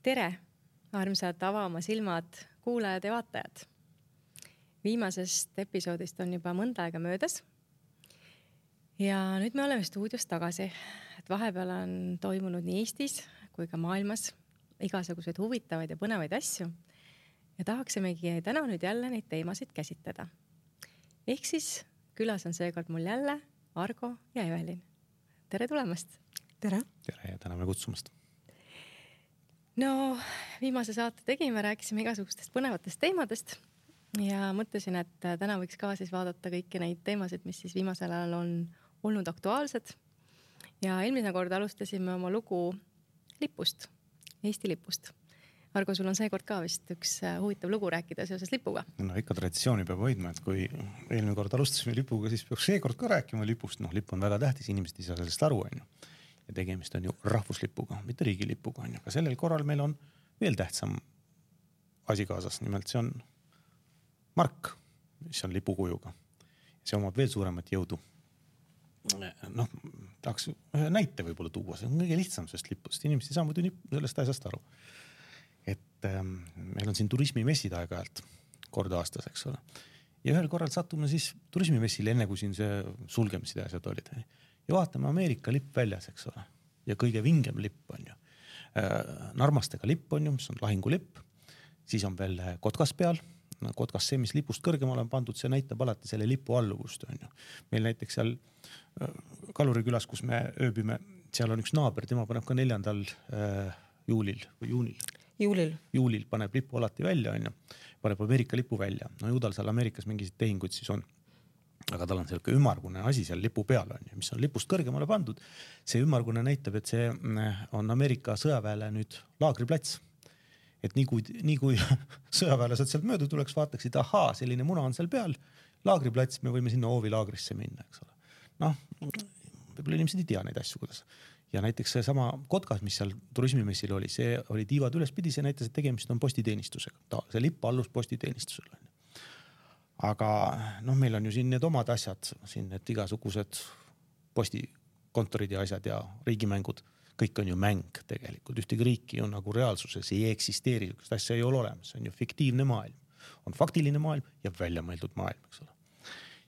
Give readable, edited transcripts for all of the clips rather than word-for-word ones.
Tere, armsad avama silmad, kuulajad ja vaatajad. Viimasest episoodist on juba mõnda aega möödas. Ja nüüd me oleme stuudios tagasi, et vahepeal on toimunud nii Eestis kui ka maailmas igasuguseid huvitavaid ja põnevaid asju. Ja tahaksimegi täna nüüd jälle neid teemasid käsitleda. Ehk siis külas on seekord mul jälle Argo ja Evelin. Tere tulemast! Tere! Tere ja täname kutsumast! No, viimase saate tegime, rääkisime igasugustest põnevatest teemadest ja mõtlesin, et täna võiks ka siis vaadata kõiki neid teemasid, mis siis viimasel ajal on olnud aktuaalsed. Ja eelmine kord alustasime oma lugu lipust, Eesti lipust. Argo, sul on seekord ka vist üks huvitav lugu rääkida seoses lipuga. No ikka traditsiooni peab hoidma, et kui eelmine kord alustasime lipuga, siis peaks seekord ka rääkima lipust. No, lipp on väga tähtis, inimesed ei saa sellest aru, on ju. Ja tegemist on ju rahvuslipuga, mitte riigilipuga. Aga sellel korral meil on veel tähtsam asi kaasas. Nimelt see on mark, mis on lipukujuga. See omab veel suuremat jõudu. Noh, tahaks ühe näite võib-olla tuua. See on kõige lihtsam sellest lipust. Inimesed ei saa muidu sellest asjast aru. Et meil on siin turismimessid aeg-ajalt kord aastas, eks ole. Ja ühel korral sattume siis turismimessile enne, kui siin see sulgemised ja asjad olid. Ja vaatame Ameerika lipp väljas, eks ole. Ja kõige vingem lipp on ju. Narmastega lipp on ju, mis on lahingulipp. Siis on veel kotkas peal. Kotkas see, mis lipust kõrgemal on pandud, see näitab alati selle lipu alluvust on ju. Meil näiteks seal Kalurikülas, kus me ööbime, seal on üks naaber, tema paneb ka 4. juulil või juulil paneb lipu alati välja on ju. Paneb Ameerika lipu välja. No ju tal seal Ameerikas mingisugused tehingud siis on. Aga tal on selline ümmargune asi seal lipu peal on ju, mis on lipust kõrgemale pandud. See ümmargune näitab, et see on Ameerika sõjaväele nüüd laagriplats. Et nii kui sõjaväelased sealt mööda tuleks, vaataksid, ahaa, selline muna on seal peal, laagriplats, me võime sinna Oovi laagrisse minna, eks ole. Noh, võib-olla inimesed ei tea neid asju, kuidas. Ja näiteks see sama kotkas, mis seal turismimessil oli, see oli tiivad ülespidi, see näitas, et tegemist on postiteenistusega. See lipp allus postiteenistusele. Aga noh, meil on ju siin need omad asjad, siin need igasugused postikontorid ja asjad ja riigimängud. Kõik on ju mäng tegelikult. Ühtegi riiki ju nagu reaalsuses ei eksisteeri. Sest asja ei ole olemas. See on ju fiktiivne maailm. On faktiline maailm ja väljamõeldud maailm, eks ole.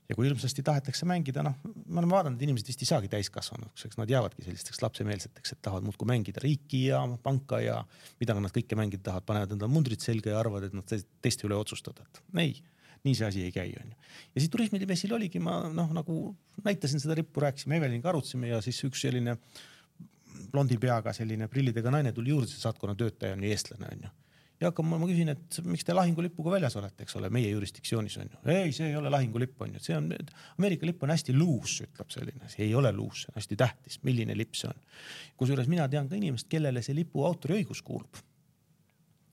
Ja kui ilmsesti tahetakse mängida, noh, ma olen vaadanud, et inimesed vist ei saagi täiskasvanuks, eks nad jäävadki sellisteks lapsemeelseteks, et tahavad muudkui mängida riiki ja panka ja mida nad kõike mängida tahavad, panevad enda mundrid selga ja arvavad, et nad teiste üle otsustada. Ei. Nii see asi ei käi on ju. Ja siis turismimessil oligi, ma nagu näitasin seda rippu, rääkisime Eveliniga, arutasime ja siis üks selline blondi peaga selline prillidega naine tuli juurde, see saatkonna töötaja on ju eestlane on ju. Ja ma küsin, et miks te lahingulipuga väljas olete, eks ole, meie jurisdiktsioonis on ju. Ei, see ei ole lahingulipp on ju. See on, Ameerika lipp on hästi luus, ütleb selline. See ei ole luus, see on hästi tähtis, milline lipp see on. Kusjuures mina tean ka inimest, kellele see lipu autoriõigus kuulub.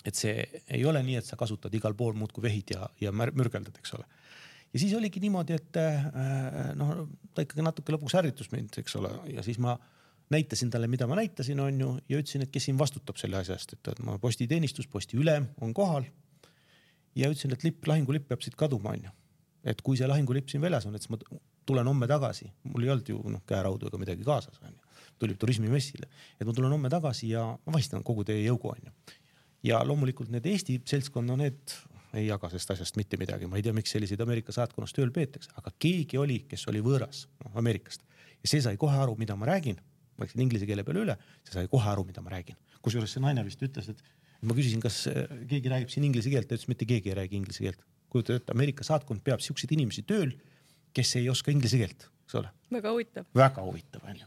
Et see ei ole nii, et sa kasutad igal pool muud kui vehid ja mürgeldad, eks ole. Ja siis oligi niimoodi, et ta ikkagi natuke lõpuks ärritus mind, eks ole. Ja siis ma näitasin talle, mida ma näitasin on ju, ja ütlesin, et kes siin vastutab selle asjast, et ma postiteenistus, posti ülem on kohal. Ja ütlesin, et lahingulipp peab siit kaduma on ju. Et kui see lahingulipp siin väljas on, et ma tulen homme tagasi. Mul ei olnud ju käeraudu ega midagi kaasas on ju. Tuli turismimessile. Et ma tulen homme tagasi ja ma vahistan kogu teie jõugu on ju. Ja loomulikult need Eesti seltskonna, need ei jaga sellest asjast mitte midagi. Ma ei tea, miks selliseid Ameerika saatkonnas tööl peetakse, aga keegi oli, kes oli võõras Ameerikast. Ja see sai kohe aru, mida ma räägin. Ma läksin inglise keele peale üle, see sai kohe aru, mida ma räägin. Kusjuures see naine vist ütles, et ma küsisin, kas keegi räägib siin inglise keelt, ta ütles, mitte keegi ei räägi inglise keelt. Kujuta, et Ameerika saatkond peab siukseid inimesi tööl, kes ei oska inglise keelt. Väga huvitav. Väga huvitav on ju.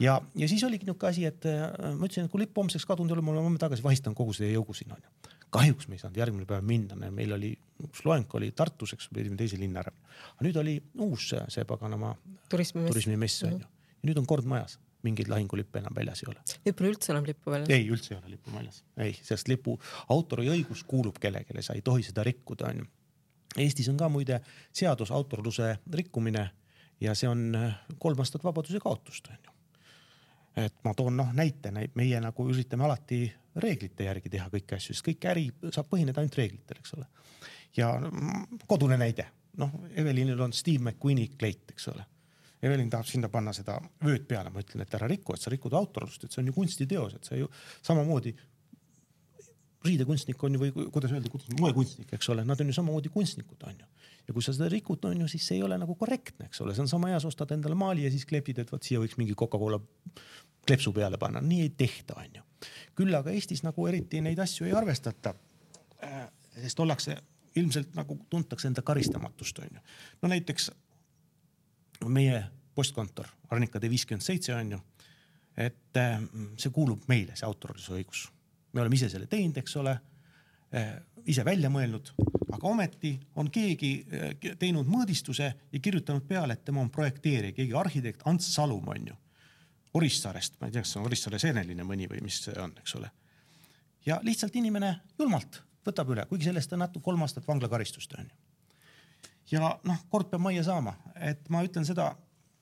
Ja siis oligi niuke asi, et ma ütlesin, et kui lipp homseks kadunud oli, ma olen tagasi vahistan kogu see jõugu siin on ju. Kahjuks me ei saanud järgmine päev minna. Meil oli üks loeng oli Tartus, eks pidime teise linna ära. Aga nüüd oli uus see paganama turismimess on ju. Ja nüüd on kord majas. Mingeid lahingulippe enam väljas ei ole. Nüüd pole üldse enam lippu väljas? Ei, üldse ei ole lippu väljas. Ei, sest lipu autori õigus kuulub kellelegi, sa ei tohi seda rikkuda on ju. Eestis on ka muide seadus autorluse rikkumine ja see on 3 aastat vabaduse kaotust on ju. Et ma toon näite, meie nagu üritame alati reeglite järgi teha kõiki asju, sest kõik äri saab põhineda ainult reeglitel, eks ole. Ja kodune näide. Evelinil on Steve McQueeni kleit, eks ole. Evelin tahab sinna panna seda vööd peale, ma ütlen, et ära rikku, et sa rikud autorlust, et see on ju kunstiteos, et sa ju samamoodi riidekunstnik on ju, või kuidas öelda, moekunstnik, eks ole, nad on ju samamoodi kunstnikud, on ju. Ja kui sa seda rikud, on ju, siis see ei ole nagu korrektne, eks ole, see on sama hea, ostad endale maali ja siis klepid, et võt siia võiks mingi Coca-Cola klepsu peale panna. Nii ei tehta, on ju. Küll aga Eestis nagu eriti neid asju ei arvestata, sest ollakse ilmselt nagu tuntakse enda karistamatust, on ju. No näiteks meie postkontor, Arnika tee 57, on ju, et see kuulub meile, see autorluse õigus. Me oleme ise selle teinud, eks ole, ise välja mõelnud, aga ometi on keegi teinud mõõdistuse ja kirjutanud peale, et tema on projekteerija, keegi arhitekt Ants Salum, on ju, Orissaarest, ma ei tea, kas see on Orissaare Seeneline mõni või mis see on, eks ole. Ja lihtsalt inimene julmalt võtab üle, kuigi sellest on natuke 3 aastat vanglakaristust, on ju. Ja noh, kord peab majja saama, et ma ütlen seda,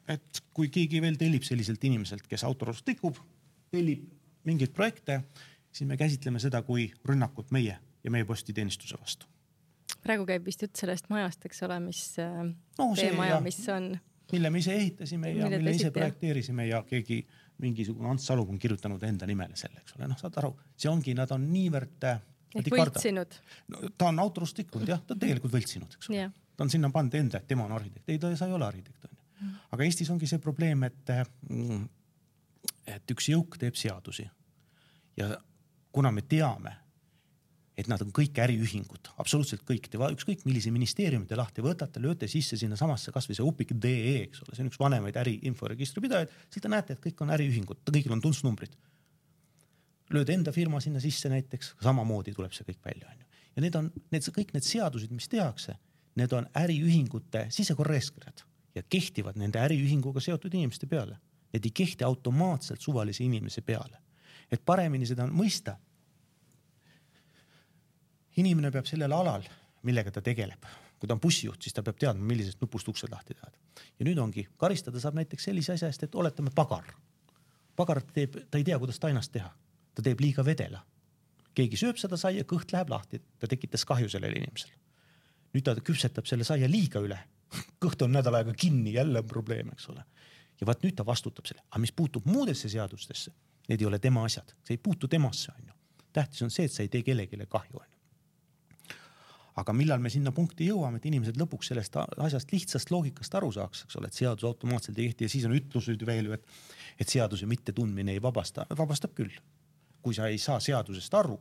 et kui keegi veel tellib selliselt inimeselt, kes autorlust rikub, tellib mingeid projekte, siis me käsitleme seda kui rünnakut meie ja meie postiteenistuse vastu. Praegu käib vist jutt sellest majast, eks ole, mis maja, mis on... Mille me ise ehitasime ja mille ise projekteerisime ja keegi mingisugune Ants Salum on kirjutanud enda nimele selle, eks ole. Noh, saad aru, see ongi, nad on niivõrd... Ehk võltsinud. No, ta on autorlust rikkunud, jah, ta on tegelikult võltsinud, eks ole. Ta on sinna pannud enda, et tema on arhitekt. Ei, ta ei ole arhitekt, on ju. Aga Eestis ongi see probleem, et üks jõuk teeb seadusi ja kuna me teame, et nad on kõik äriühingud, absoluutselt kõik, ükskõik millise ministeeriumi te lahti võtate, lööte sisse sinna samasse kasvõi see upik.de, eks ole, see on üks vanemaid äriinforegistri pidajaid, siis te näete, et kõik on äriühingud, kõigil on tuntsnumbrid. Lööd enda firma sinna sisse näiteks, samamoodi tuleb see kõik välja. Ja kõik need seadused, mis tehakse, need on äriühingute sisekorraeeskirjad ja kehtivad nende äriühinguga seotud inimeste peale. Need ei kehti automaatselt suvalise inimese peale. Et paremini seda mõista, inimene peab sellel alal, millega ta tegeleb. Kui ta on bussijuht, siis ta peab teadma, millisest nupust uksed lahti teada. Ja nüüd ongi, karistada saab näiteks sellise asja eest, et oletame pagar. Pagar teeb, ta ei tea, kuidas tainast teha. Ta teeb liiga vedela. Keegi sööb seda saia, kõht läheb lahti. Ta tekitas kahju sellele inimesele. Nüüd ta küpsetab selle saia liiga üle. Kõht on nädal aega kinni, jälle on probleem, eks ole. Ja vaat nüüd ta vastutab selle. Aga mis puutub muudesse seadustesse, need ei ole tema asjad. See ei puutu temasse, on ju. Tähtis on see, et sa ei tee kellegile kahju, on ju. Aga millal me sinna punkti jõuame, et inimesed lõpuks sellest asjast lihtsast loogikast aru saaks, eks ole, et seadus automaatselt ei kehti ja siis on ütlused veel, et seaduse mitte tundmine ei vabasta. Vabastab küll. Kui sa ei saa seadusest aru,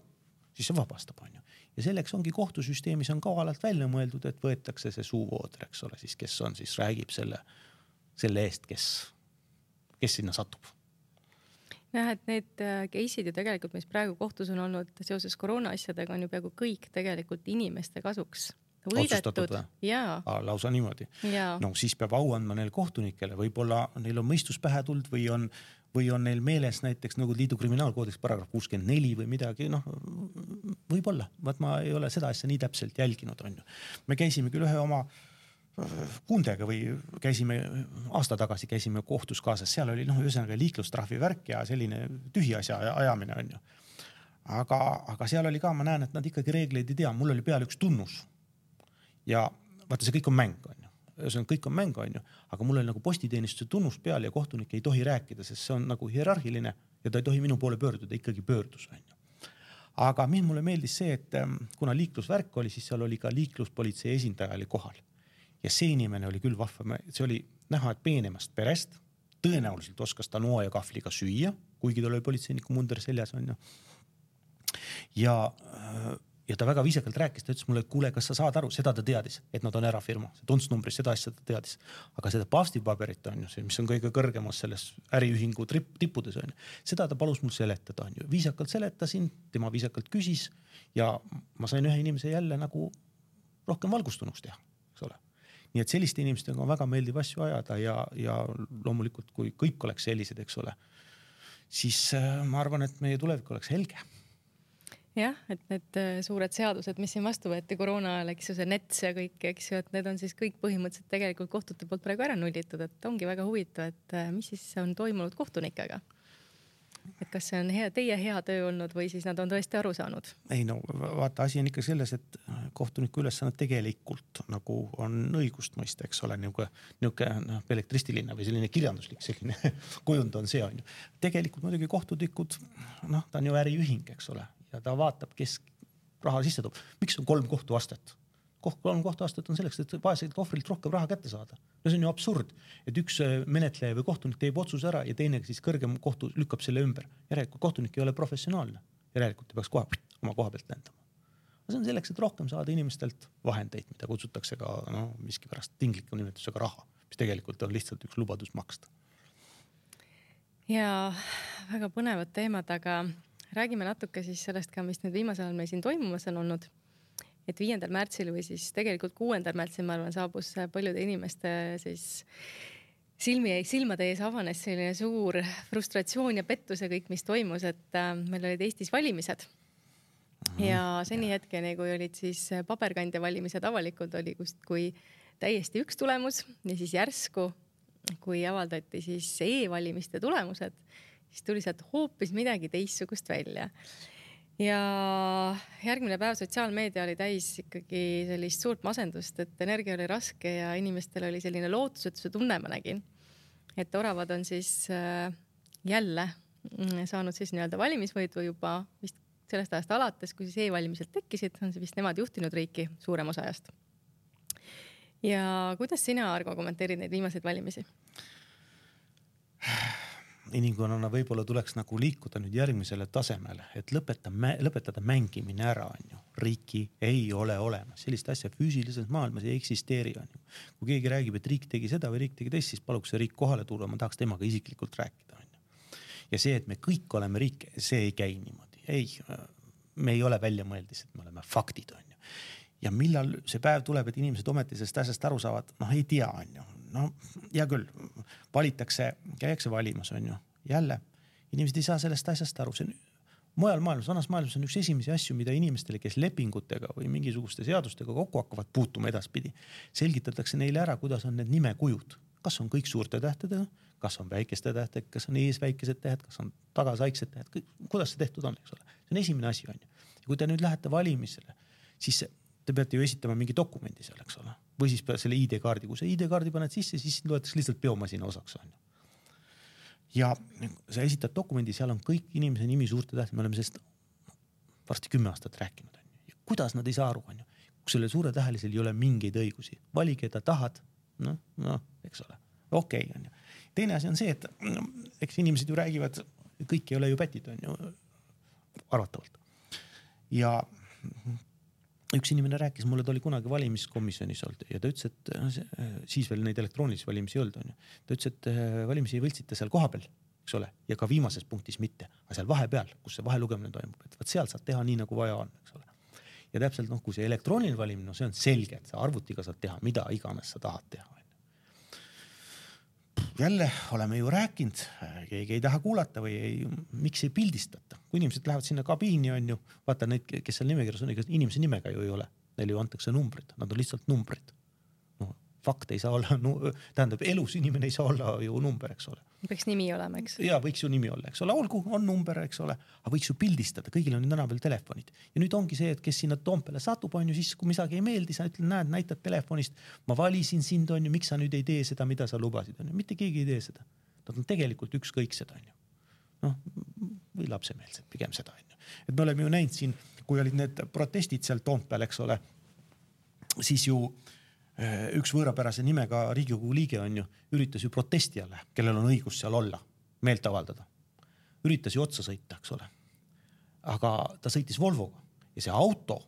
siis see vabastab, on ju. Ja selleks ongi kohtusüsteemis on kavalalt välja mõeldud, et võetakse see suuvooder, eks ole, siis kes on, siis räägib selle eest, kes sinna satub. Jah, et need case'id ju tegelikult, mis praegu kohtus on olnud seoses koroona asjadega, on ju peaaegu kõik tegelikult inimeste kasuks võidetud. Lausa niimoodi. No siis peab au andma neil kohtunikele, võib-olla neil on mõistus pähe tuld või on neil meeles näiteks Nõukogude Liidu kriminaalkoodeks paragrahv 64 või midagi, noh, võib-olla. Vaat ma ei ole seda asja nii täpselt jälginud, on ju. Me käisime küll ühe oma kundega või aasta tagasi käisime kohtus kaasas, seal oli ühesõnaga liiklustrahvi värk ja selline tühi asja ajamine, on ju. Aga seal oli ka, ma näen, et nad ikkagi reegleid ei tea, mul oli peal üks tunnus ja vaata, see kõik on mäng, on ju. Ühesõnaga kõik on mäng, on ju, aga mul oli nagu postiteenistuse tunnus peal ja kohtunik ei tohi rääkida, sest see on nagu hierarhiline ja ta ei tohi minu poole pöörduda, ikkagi pöördus, on ju. Aga mulle meeldis see, et kuna liiklusvärk oli, siis seal oli ka liikluspolitsei esindaja oli kohal. Ja see inimene oli küll vahva, see oli näha, et peenemast perest, tõenäoliselt oskas ta noa ja kahvliga süüa, kuigi ta oli politseiniku munder seljas, on ju. Ja ta väga viisakalt rääkis, ta ütles mulle, et kuule, kas sa saad aru, seda ta teadis, et nad on erafirma, see tuntsnumbris, seda asja ta teadis. Aga seda paavstipaberit on ju, see, mis on kõige kõrgemas selles äriühingu tippudes, on ju. Seda ta palus mul seletada, on ju. Viisakalt seletasin, tema viisakalt küsis ja ma sain ühe inimese jälle nagu rohkem valgustunuks teha, eks ole. Nii et selliste inimestega on väga meeldiv asju ajada ja loomulikult, kui kõik oleks sellised, eks ole, siis ma arvan, et meie tulevik oleks helge. Jah, et need suured seadused, mis siin vastu võeti koroona ajal, eks ju, see NETS ja kõik, eks ju, et need on siis kõik põhimõtteliselt tegelikult kohtute poolt praegu ära nullitud, et ongi väga huvitav, et mis siis on toimunud kohtunikega. Et kas see on teie hea töö olnud või siis nad on tõesti aru saanud? Ei no vaata, asi on ikka selles, et kohtuniku ülesanne tegelikult nagu on õigust mõista, eks ole, niisugune elektristiline või selline kirjanduslik selline kujund on see, on ju. Tegelikult muidugi kohtunikud, ta on ju äriühing, eks ole. ja ta vaatab, kes raha sisse toob. Miks on 3 kohtuastet? 3 kohtuastet on selleks, et vaeselt ohvrilt rohkem raha kätte saada. No see on ju absurd, et üks menetleja või kohtunik teeb otsuse ära ja teine siis kõrgem kohtu lükkab selle ümber. Järelikult kohtunik ei ole professionaalne. Järelikult ta peaks kohe oma koha pealt lendama. See on selleks, et rohkem saada inimestelt vahendeid, mida kutsutakse ka miski pärast tingliku nimetusega raha, mis tegelikult on lihtsalt üks lubadus maksta. Ja väga põnevad teemad, aga räägime natuke siis sellest ka, mis nüüd viimasel ajal meil siin toimumas on olnud. Et 5. märtsil või siis tegelikult 6. märtsil, ma arvan, saabus paljude inimeste siis silmade ees avanes selline suur frustratsioon ja pettus ja kõik, mis toimus, et meil olid Eestis valimised. Ja seni hetkeni, kui olid siis paberkandja valimised avalikud, oli kui täiesti üks tulemus ja siis järsku, kui avaldati siis e-valimiste tulemused, siis tuli sealt hoopis midagi teistsugust välja. Ja järgmine päev sotsiaalmeedia oli täis ikkagi sellist suurt masendust, et energia oli raske ja inimestel oli selline lootusetuse tunne, ma nägin. Et oravad on siis jälle saanud siis nii-öelda valimisvõidu juba vist sellest ajast alates, kui siis e-valimised tekkisid, on see vist nemad juhtinud riiki suurem osa ajast. Ja kuidas sina, Argo, kommenteerid neid viimaseid valimisi? Inimkonnana võib-olla tuleks nagu liikuda nüüd järgmisele tasemele, et lõpetada mängimine ära, on ju. Riiki ei ole olemas. Sellist asja füüsilises maailmas ei eksisteeri, on ju. Kui keegi räägib, et riik tegi seda või riik tegi teist, siis paluks see riik kohale tulla, ma tahaks temaga isiklikult rääkida, on ju. Ja see, et me kõik oleme riik, see ei käi niimoodi. Ei, me ei ole välja mõeldis, et me oleme faktid, on ju. Ja millal see päev tuleb, et inimesed ometi sellest asjast aru saavad, ei tea, on ju. Hea küll, valitakse, käiakse valimas, on ju. Jälle, inimesed ei saa sellest asjast aru. See on mujal maailmas, vanas maailmas on üks esimesi asju, mida inimestele, kes lepingutega või mingisuguste seadustega kokku hakkavad puutuma edaspidi, selgitatakse neile ära, kuidas on need nimekujud. Kas on kõik suurte tähtedega, kas on väikeste tähtedega, kas on ees väikesed tähed, kas on tagas väiksed tähed, kuidas see tehtud on, eks ole. See on esimene asi, on ju. Ja kui te nüüd lähete valimisele, siis te peate ju esitama mingi dokumendi seal, eks ole. Või siis selle ID-kaardi, kui see ID-kaardi paned sisse, siis loetakse lihtsalt biomasina osaks, on ju. Ja sa esitad dokumendi, seal on kõik inimese nimi suurte tähtedega, me oleme sellest varsti 10 aastat rääkinud, on ju. Ja kuidas nad ei saa aru, on ju. Kui selle suure tähelisel ei ole mingeid õigusi, vali, keda tahad, eks ole, okei, on ju. Teine asi on see, et eks inimesed ju räägivad, kõik ei ole ju pätid, on ju, arvatavalt. Ja üks inimene rääkis, mulle ta oli kunagi valimiskomisjonis olnud ja ta ütles, et siis veel neid elektroonilisi valimisi olnud, on ju. Ta ütles, et valimisi ei võltsita seal kohapeal, eks ole, ja ka viimases punktis mitte, aga seal vahepeal, kus see vahelugemine toimub, et seal saad teha nii, nagu vaja on, eks ole. Ja täpselt, kui see elektrooniline valimine, see on selge, et sa arvutiga saad teha, mida iganes sa tahad teha. Jälle oleme ju rääkinud, keegi ei taha kuulata või miks ei pildistata. Kui inimesed lähevad sinna kabiini, on ju, vaata neid, kes seal nimekirjas on, inimese nimega ju ei ole. Neil ju antakse numbrid, nad on lihtsalt numbrid. Fakt ei saa olla, tähendab, elus inimene ei saa olla ju number, eks ole. Võiks nimi olema, eks? Ja võiks ju nimi olla, eks ole. Olgu, on number, eks ole, aga võiks ju pildistada. Kõigil on täna veel telefonid. Ja nüüd ongi see, et kes sinna Toompeale satub, on ju, siis kui midagi ei meeldi, sa ütled, näitad telefonist, ma valisin sind, on ju, miks sa nüüd ei tee seda, mida sa lubasid, on ju. Mitte keegi ei tee seda. Nad on tegelikult ükskõiksed, on ju. Või lapsemeelsed, pigem seda, on ju. Et me oleme ju näinud siin, kui olid need protestid seal Toompeal, eks ole, siis ju üks võõrapärase nimega Riigikogu liige on ju, üritas ju protestijale, kellel on õigus seal olla, meelt avaldada. Üritas ju otsa sõita, eks ole. Aga ta sõitis Volvoga ja see auto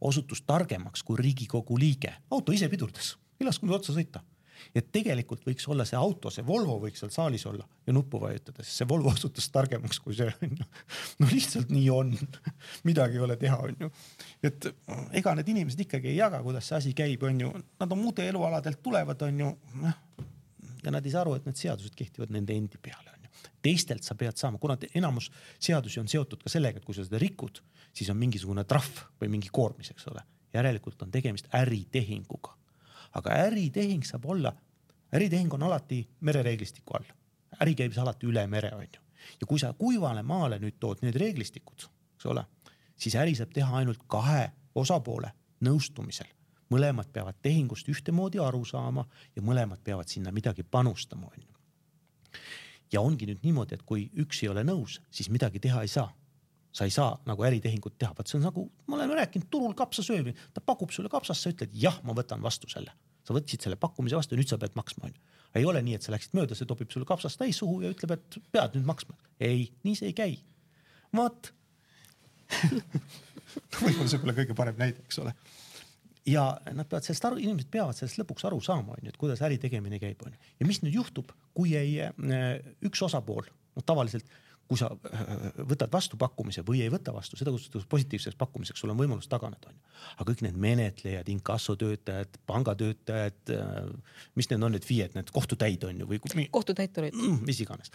osutus targemaks kui Riigikogu liige. Auto ise pidurdas, ei laskunud otsa sõita. Ja tegelikult võiks olla see auto, see Volvo võiks seal saalis olla ja nuppu vajutada, sest see Volvo osutus targemaks kui see on ju. Lihtsalt nii on. Midagi ei ole teha, on ju. Et ega need inimesed ikkagi ei jaga, kuidas see asi käib, on ju. Nad on muude elualadelt tulevad, on ju. Ja nad ei saa aru, et need seadused kehtivad nende endi peale, on ju. Teistelt sa pead saama, kuna enamus seadusi on seotud ka sellega, et kui sa seda rikud, siis on mingisugune trahv või mingi koormis, eks ole. Järelikult on tegemist äritehinguga. Aga äritehing saab olla, äritehing on alati merereeglistiku all. Äri käib alati üle mere, on ju. Ja kui sa kuivale maale nüüd tood need reeglistikud, eks ole, siis äri saab teha ainult 2 osapoole nõustumisel. Mõlemad peavad tehingust ühtemoodi aru saama ja mõlemad peavad sinna midagi panustama, on ju. Ja ongi nüüd niimoodi, et kui üks ei ole nõus, siis midagi teha ei saa. sa ei saa nagu äritehingut teha, vaat see on nagu, ma olen rääkinud, turul kapsasöömi, ta pakub sulle kapsast, sa ütled jah, ma võtan vastu selle. Sa võtsid selle pakkumise vastu ja nüüd sa pead maksma. Ei ole nii, et sa läksid mööda, see topib sulle kapsast täis suhu ja ütleb, et pead nüüd maksma. Ei, nii see ei käi. Vaat. Võib-olla see pole kõige parem näide, eks ole. Ja nad peavad sellest aru, inimesed peavad sellest lõpuks aru saama, et kuidas äri tegemine käib. Ja mis nüüd juhtub, kui ei üks osapool, tavaliselt, kui sa võtad vastu pakkumise või ei võta vastu, seda kutsutakse positiivseks pakkumiseks, sul on võimalus taganeda. Aga kõik need menetlejad, inkassotöötajad, pangatöötajad, mis need on need FIE-d, need kohtutäid on ju või kohtutäiturid. Mis iganes.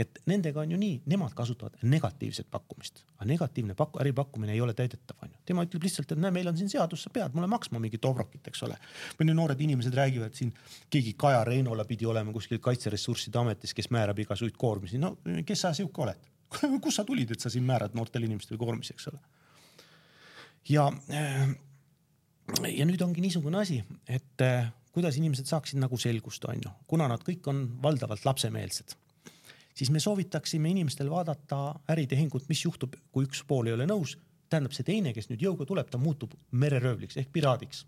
Et nendega on ju nii, nemad kasutavad negatiivset pakkumist. Aga negatiivne äripakkumine ei ole täidetav. Tema ütleb lihtsalt, et näe, meil on siin seadus, sa pead mulle maksma mingi tobrokit, eks ole. Või noored inimesed räägivad siin, keegi Kaja Reinola pidi olema kuskil Kaitseressursside ametis, kes määrab igasuid koormisi. No kes sa siuke oled? Kus sa tulid, et sa siin määrad noortel inimestel koormisi, eks ole? Ja nüüd ongi niisugune asi, et kuidas inimesed saaksid nagu selgust, on ju. Kuna nad kõik on valdavalt lapsemeelsed, siis me soovitaksime inimestel vaadata äritehingut, mis juhtub, kui üks pool ei ole nõus. Tähendab see teine, kes nüüd jõuga tuleb, ta muutub mereröövliks ehk piraadiks.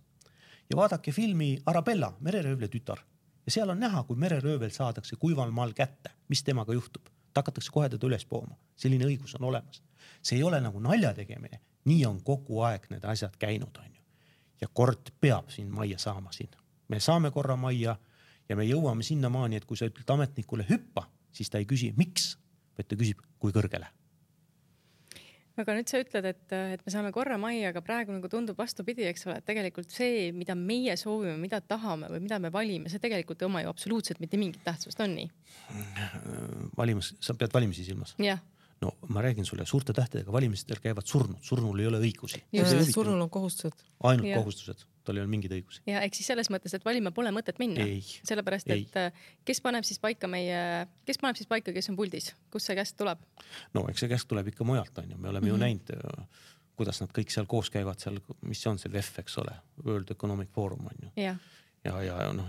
Ja vaadake filmi Arabella, mereröövle tütar. Ja seal on näha, kui mereröövel saadakse kuival maal kätte, mis temaga juhtub. Ta hakatakse kohe teda üles pooma. Selline õigus on olemas. See ei ole nagu nalja tegemine. Nii on kogu aeg need asjad käinud, on ju. Ja kord peab siin majja saama siin. Me saame korra majja ja me jõuame sinna maani, et kui sa ütled ametnikule hüppa, siis ta ei küsi miks, vaid ta küsib kui kõrgele. Aga nüüd sa ütled, et me saame korra majja, aga praegu nagu tundub vastupidi, eks ole, et tegelikult see, mida meie soovime, mida tahame või mida me valime, see tegelikult ei oma ju absoluutselt mitte mingit tähtsust, on nii? Sa pead valimisi silmas? Jah. No ma räägin sulle, suurte tähtedega valimistel käivad surnud. Surnul ei ole õigusi. Surnul on kohustused. Ainult kohustused. Tal ei ole mingeid õigusi. Ja eks siis selles mõttes, et valima pole mõtet minna. Ei. Sellepärast, et kes paneb siis paika, kes on puldis? Kus see käest tuleb? No eks see käest tuleb ikka mujalt, on ju. Me oleme ju näinud, kuidas nad kõik seal koos käivad seal, mis on see VEF, eks ole, World Economic Forum on ju. Ja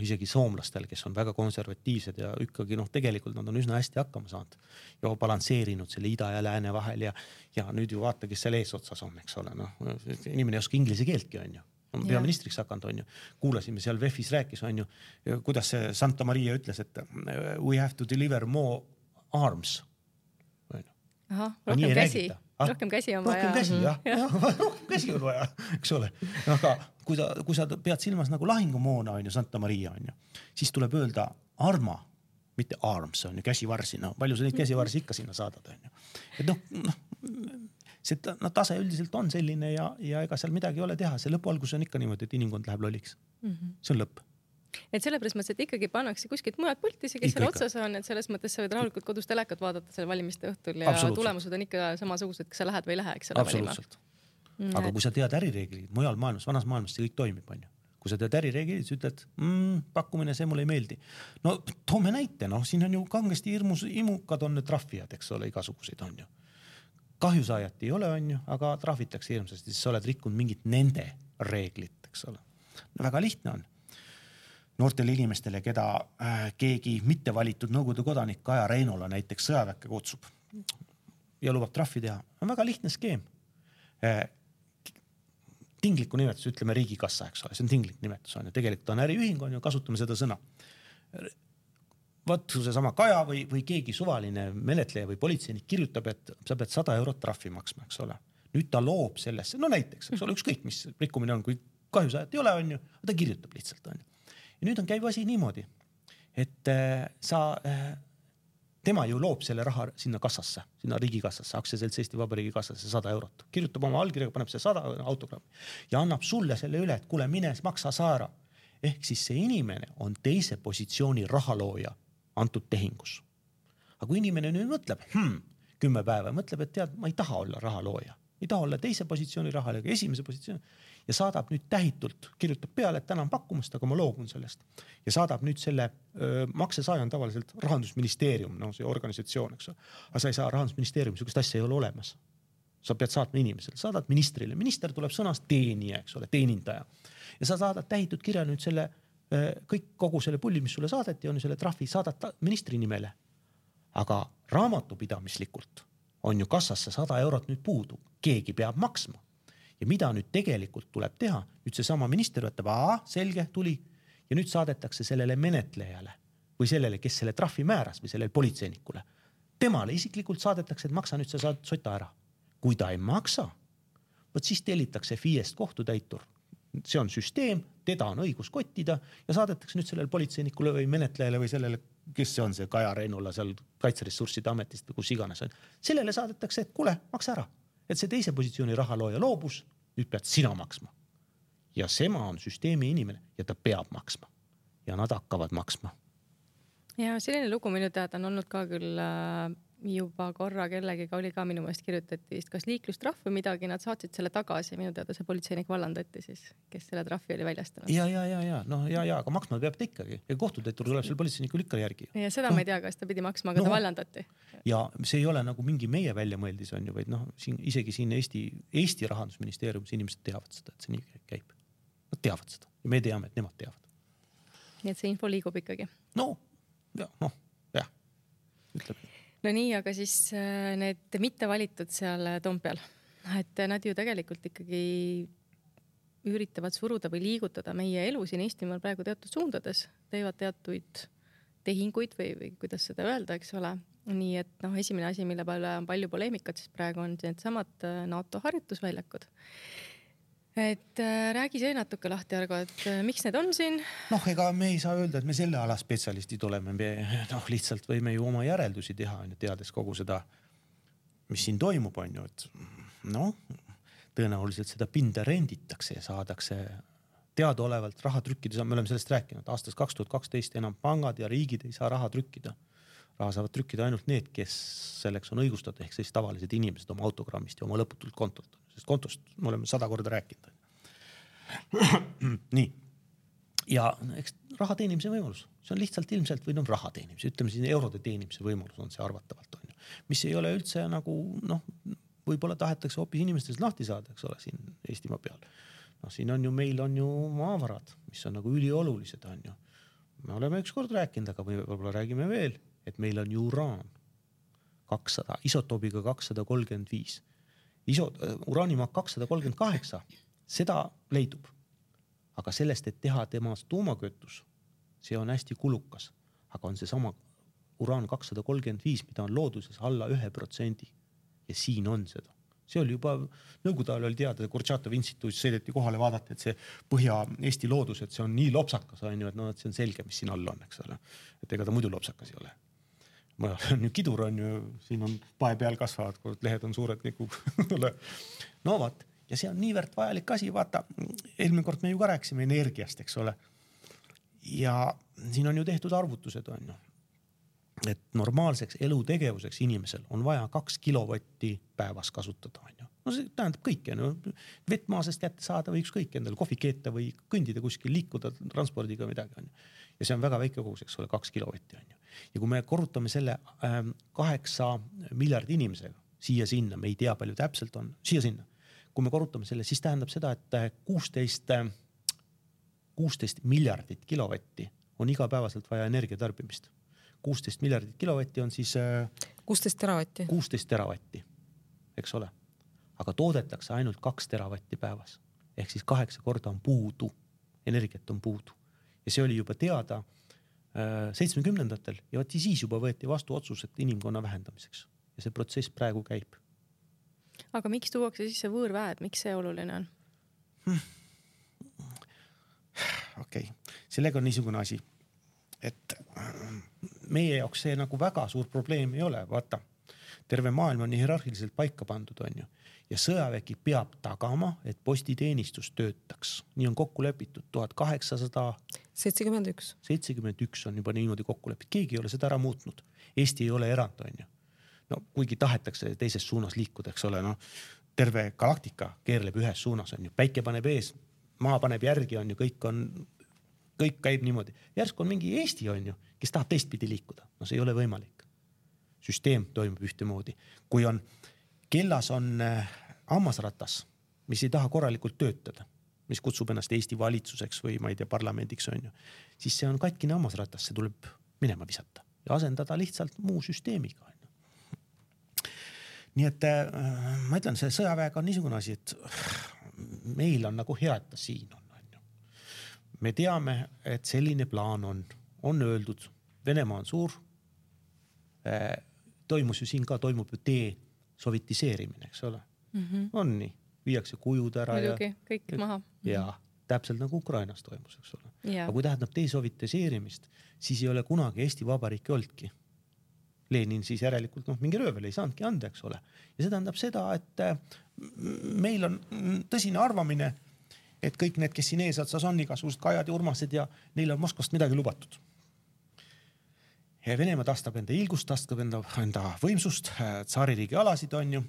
isegi soomlastel, kes on väga konservatiivsed ja ikkagi tegelikult nad on üsna hästi hakkama saanud ja balansseerinud selle ida ja lääne vahel ja nüüd ju vaata, kes seal eesotsas on, eks ole. Inimene ei oska inglise keeltki, on ju. On peaministriks hakanud, on ju. Kuulasime seal VEF-is rääkis, on ju, kuidas see Santa Maria ütles, et we have to deliver more arms. Aha, rohkem käsi on vaja. Rohkem käsi on vaja, eks ole. Aga kui sa pead silmas nagu lahingumoona, on ju, Santa Maria, on ju, siis tuleb öelda arma, mitte arms, on ju, käsivarsi. Palju sa neid käsivarsi ikka sinna saadad, on ju. Et see tase üldiselt on selline ja ega seal midagi ei ole teha. See lõpualgus on ikka niimoodi, et inimkond läheb lolliks. See on lõpp. Et sellepärast mõttes, et ikkagi pannakse kuskilt mujalt pulti, kes seal otsas on, et selles mõttes sa võid rahulikult kodus telekat vaadata selle valimiste õhtul ja tulemused on ikka samasugused, kas sa lähed või ei lähe, eks ole valima. Aga kui sa tead ärireeglid, mujal maailmas, vanas maailmas see kõik toimib, on ju. Kui sa tead ärireeglid, siis ütled, pakkumine, see mulle ei meeldi. No toome näite, siin on ju kangesti imukad on need trahvijad, eks ole, igasuguseid on ju. Kahjusaajat ei ole, on ju, aga trahvitakse hirmsasti, siis sa oled rikkunud mingit nende reeglit, eks ole. Väga lihtne on. Noortele inimestele, keda keegi mitte valitud Nõukogude kodanik Kaja Reinola näiteks sõjaväkke kutsub ja lubab trahvi teha, on väga lihtne skeem. Tingliku nimetus, ütleme riigikassa, eks ole, see on tinglik nimetus, on ju. Tegelikult on äriühing, on ju, kasutame seda sõna. Võttu see sama Kaja või keegi suvaline menetleja või politseinik kirjutab, et sa pead 100 eurot trahvi maksma, eks ole. Nüüd ta loob sellesse, no näiteks, eks ole, ükskõik mis rikkumine on, kui kahjusaajat ei ole, on ju, ta kirjutab lihtsalt, on ju. Ja nüüd on käiv asi niimoodi, et tema ju loob selle raha sinna kassasse, sinna riigikassasse, aktsiaselts Eesti Vabariigi kassasse 100 eurot. Kirjutab oma allkirjaga, paneb see 100 autogrammi ja annab sulle selle üle, et kuule, mine maksa saara. Ehk siis see inimene on teise positsiooni rahalooja antud tehingus. Aga kui inimene nüüd mõtleb, 10 päeva, mõtleb, et tead, ma ei taha olla rahalooja. Ei taha olla teise positsiooni rahalooja, esimese positsiooni. Ja saadab nüüd tähitult, kirjutab peale, et tänan pakkumast, aga ma loobun sellest. Ja saadab nüüd selle maksesaaja on tavaliselt Rahandusministeerium, see organisatsioon, eks ole. Aga sa ei saa Rahandusministeerium, sugust asja ei ole olemas. Sa pead saatma inimesele, saadad ministrile. Minister tuleb sõnast teenija, eks ole, teenindaja. Ja sa saadad tähitud kirja nüüd selle, kogu selle pulli, mis sulle saadeti, on selle trahvi, saadad ministri nimele. Aga raamatupidamislikult on ju kassasse 100 eurot nüüd puudu, keegi peab maksma. Ja mida nüüd tegelikult tuleb teha? Nüüd see sama minister võtab, selge, tuli. Ja nüüd saadetakse sellele menetlejale või sellele, kes selle trahvi määras või sellele politseinikule. Temale isiklikult saadetakse, et maksa nüüd sa saad sota ära. Kui ta ei maksa, võt siis tellitakse FIE-st kohtutäitur. See on süsteem, teda on õigus kottida ja saadetakse nüüd sellele politseinikule või menetlejale või sellele, kes see on see Kaja Reinula seal Kaitseressursside ametist või kus iganes on. Sellele saadetakse, et kuule, maksa ära. Et see teise positsiooni rahalooja loobus, nüüd pead sina maksma. Ja sema on süsteemi inimene ja ta peab maksma. Ja nad hakkavad maksma. Ja selline lugu minu teada on olnud ka küll juba korra kellegiga oli ka minu meelest kirjutati vist kas liiklustrahv või midagi, nad saatsid selle tagasi. Minu teada see politseinik vallandati siis, kes selle trahvi oli väljastanud. Aga maksma peab ta ikkagi. Ja kohtutäitur tuleb selle politseinikul ikka järgi. Ja seda ma ei tea, kas ta pidi maksma, aga ta vallandati. Ja see ei ole nagu mingi meie väljamõeldis on ju, vaid isegi siin Eesti rahandusministeeriumis inimesed teavad seda, et see nii käib. Nad teavad seda ja me teame, et nemad teavad. Nii et see info liigub ikkagi. Ütleb. No nii, aga siis need mitte valitud seal Toompeal, et nad ju tegelikult ikkagi üritavad suruda või liigutada meie elu siin Eestimaal praegu teatud suundades, teevad teatuid tehinguid või kuidas seda öelda, eks ole. Nii et esimene asi, mille peale on palju poleemikat, siis praegu on need samad NATO harjutusväljakud. Et räägi see natuke lahti, Argo, et miks need on siin? Ega me ei saa öelda, et me selle ala spetsialistid oleme. Me lihtsalt võime ju oma järeldusi teha, teades kogu seda, mis siin toimub, on ju. Et tõenäoliselt seda pinda renditakse ja saadakse teadaolevalt raha trükkida. Me oleme sellest rääkinud. Aastast 2012 enam pangad ja riigid ei saa raha trükkida. Raha saavad trükkida ainult need, kes selleks on õigustatud, ehk siis tavalised inimesed oma autogrammist ja oma lõputult kontolt. Sest kontost me oleme 100 korda rääkinud. Nii. Ja eks raha teenimise võimalus. See on lihtsalt ilmselt või raha teenimise. Ütleme siin eurode teenimise võimalus on see arvatavalt. On ju. Mis ei ole üldse nagu, võib-olla tahetakse hoopis inimestest lahti saada, eks ole, siin Eestimaa peal. Siin on ju, meil on ju maavarad, mis on nagu üliolulised, on ju. Me oleme üks kord rääkinud, aga võib-olla räägime veel, et meil on ju uraan 200, isotoobiga 235. Uraanimaak 238, seda leidub. Aga sellest, et teha temast tuumakötus, see on hästi kulukas. Aga on see sama uraan 235, mida on looduses alla 1%. Ja siin on seda. See oli juba, nõukogude ajal oli teada, Kurtšatov instituudis sõideti kohale vaadata, et see Põhja-Eesti loodus, et see on nii lopsakas, on ju, et see on selge, mis siin all on, eks ole. Et ega ta muidu lopsakas ei ole. Kidur on ju, siin on pae peal kasvavad, kui lehed on suured nagu vaat, ja see on niivõrd vajalik asi, vaata, eelmine kord me ju ka rääkisime energiast, eks ole. Ja siin on ju tehtud arvutused, on ju, et normaalseks elutegevuseks inimesel on vaja 2 kilovatti päevas kasutada, on ju. See tähendab kõike, vettmaasest kätte saada või ükskõik endale kohvi keeta või kõndida kuskil, liikuda transpordiga midagi, on ju. Ja see on väga väike kogus, eks ole, 2 kilovatti, on ju. Ja kui me korrutame selle 8 miljardi inimesega siia-sinna, me ei tea palju täpselt on, siia-sinna. Kui me korrutame selle, siis tähendab seda, et 16 miljardit kilovatti on igapäevaselt vaja energiatarbimist. 16 miljardit kilovatti on siis 16 teravatti. 16 teravatti, eks ole. Aga toodetakse ainult 2 teravatti päevas. Ehk siis 8 korda on puudu, energiat on puudu. Ja see oli juba teada 70-ndatel ja siis juba võeti vastu otsused inimkonna vähendamiseks. Ja see protsess praegu käib. Aga miks tuuakse sisse võõrväed? Miks see oluline on? Okei. Sellega on niisugune asi, et meie jaoks see nagu väga suur probleem ei ole. Vaata, terve maailm on hierarhiliselt paika pandud, on ju. Ja sõjavägi peab tagama, et postiteenistus töötaks. Nii on kokku lepitud 1871. 71 on juba niimoodi kokku lepitud. Keegi ei ole seda ära muutnud. Eesti ei ole erand, on ju. Kuigi tahetakse teises suunas liikuda, eks ole, terve galaktika keerleb ühes suunas, on ju. Päike paneb ees, maa paneb järgi, on ju, kõik käib niimoodi. Järsk on mingi Eesti, on ju, kes tahab teistpidi liikuda. See ei ole võimalik. Süsteem toimub ühtemoodi. Kui on kellas on hammasratas, mis ei taha korralikult töötada, mis kutsub ennast Eesti valitsuseks või ma ei tea, parlamendiks, on ju, siis see on katkine hammasratas, see tuleb minema visata ja asendada lihtsalt muu süsteemiga. nii et ma ütlen, see sõjaväega on niisugune asi, et meil on nagu hea, et ta siin on. Me teame, et selline plaan on öeldud. Venemaa on suur. Toimus ju siin ka, toimub ju desovetiseerimine, eks ole. On nii, viiakse kujud ära. Muidugi, kõik maha. Ja täpselt nagu Ukrainas toimus, eks ole. Ja. Aga kui tähendab desovetiseerimist, siis ei ole kunagi Eesti Vabariiki olnudki. Lenin siis järelikult mingi röövel ei saanudki anda, eks ole. Ja see tähendab seda, et meil on tõsine arvamine, et kõik need, kes siin eesotsas on, igasugused Kajad ja Urmased ja neil on Moskvast midagi lubatud. Ja Venemaa tastab enda ilgust, tastab enda võimsust, tsaaririigi alasid on ju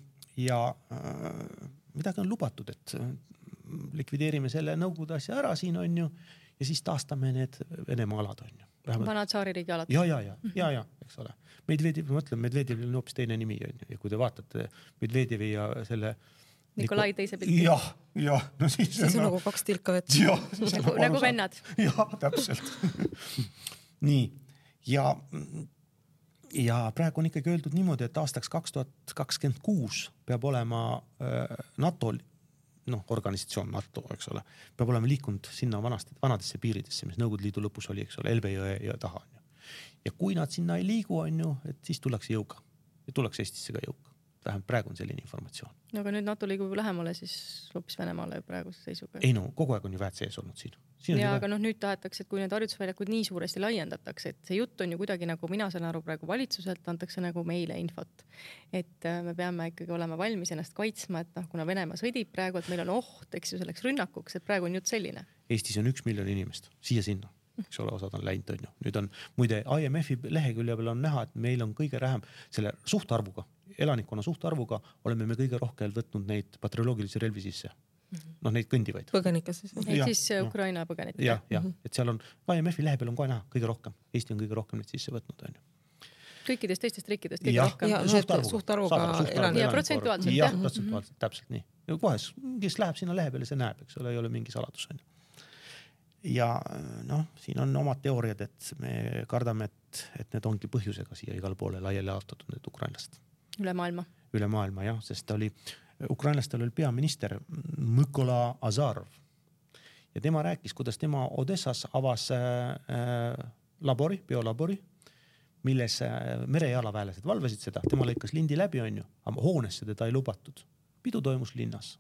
ja midagi on lubatud, et likvideerime selle nõukogude asja ära siin on ju ja siis taastame need Venemaa alad on ju. Vana tsaaririigi alad. Ja, eks ole. Medvedjev, ma mõtlen, Medvedjevil on hoopis teine nimi on ju ja kui te vaatate Medvedjevi ja selle Nikolai teise pilti. Ja, no siis on nagu kaks tilka vett. Nagu vennad. Ja, täpselt. Nii. Ja praegu on ikkagi öeldud niimoodi, et aastaks 2026 peab olema NATO, organisatsioon NATO, eks ole, peab olema liikunud sinna vanadesse piiridesse, mis Nõukogude Liidu lõpus oli, eks ole, Elbe ja taha. Ja kui nad sinna ei liigu, on ju, et siis tullakse jõuga. Ja tullakse Eestisse ka jõuga. Vähemalt praegu on selline informatsioon. No aga nüüd NATO liigub lähemale siis hoopis Venemaale praeguse seisuga. Ei kogu aeg on ju väed sees olnud siin. Ja aga nüüd tahetakse, et kui need harjutusväljakud nii suuresti laiendatakse, et see jutt on ju kuidagi nagu mina saan aru praegu valitsuselt, antakse nagu meile infot. Et me peame ikkagi olema valmis ennast kaitsma, et kuna Venemaa sõdib praegu, et meil on oht, eks ju selleks rünnakuks, et praegu on jutt selline. Eestis on 1 miljon inimest, siia-sinna. Eks ole, osad on läinud, on ju. Nüüd on, muide, IMF-i lehekülje peal on näha, et meil on kõige vähem selle suhtarvuga, elanikkonna suhtarvuga oleme me kõige rohkem võtnud neid bakterioloogilisi relvi sisse. Neid kõndivaid. Põgenikes siis. Et siis Ukraina põgenikes. Ja, et seal on, IMF-i lehe peal on kohe näha kõige rohkem. Eesti on kõige rohkem neid sisse võtnud, on ju. Kõikidest teistest riikidest kõige rohkem. Ja suhtarvuga elanikku. Ja protsentuaalselt. Ja, protsentuaalselt, täpselt nii. Ja kohe, kes läheb sinna lehe peale, see näeb, eks ole, ei ole mingi saladus, on ju. Ja siin on omad teooriad, et me kardame, et need ongi põhjusega siia igal poole laiali jaotatud need ukrainlast. Üle maailma, jah, sest ukrainlastel oli peaminister Mykola Azarov. Ja tema rääkis, kuidas tema Odessas avas biolabori, milles merejalaväelased valvasid seda. Tema lõikas lindi läbi, on ju, aga hoonesse teda ei lubatud. Pidu toimus linnas.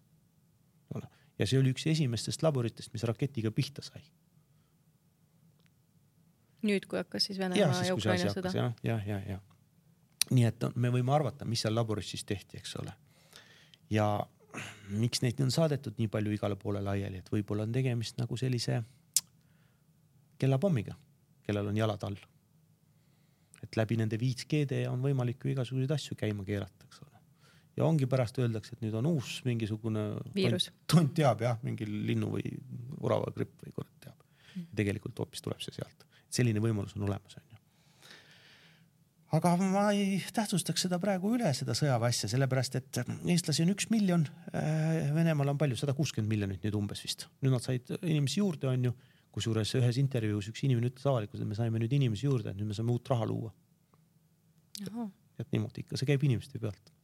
Ja see oli üks esimestest laboritest, mis raketiga pihta sai. Nüüd, kui hakkas siis Venemaa ja Ukraina sõda. Ja. Nii et me võime arvata, mis seal laboris siis tehti, eks ole. Ja miks neid on saadetud nii palju igale poole laiali, et võib-olla on tegemist nagu sellise kellapommiga, kellel on jalad all. Et läbi nende 5G on võimalik ju igasuguseid asju käima keerata, eks ole. Ja ongi pärast öeldakse, et nüüd on uus mingisugune viirus. Tont teab, mingi linnu või urava gripp või kord teab. Ja tegelikult hoopis tuleb see sealt. Selline võimalus on olemas, on ju. Aga ma ei tähtsustaks seda praegu üle, seda sõjaväsja, sellepärast, et eestlasi on 1 miljon, Venemaal on palju, 160 miljonit nüüd umbes vist. Nüüd nad said inimesi juurde, on ju, kusjuures ühes intervjuus üks inimene ütles avalikult, et me saime nüüd inimesi juurde, et nüüd me saame uut raha luua. Et niimoodi ikka, see käib inimeste pealt.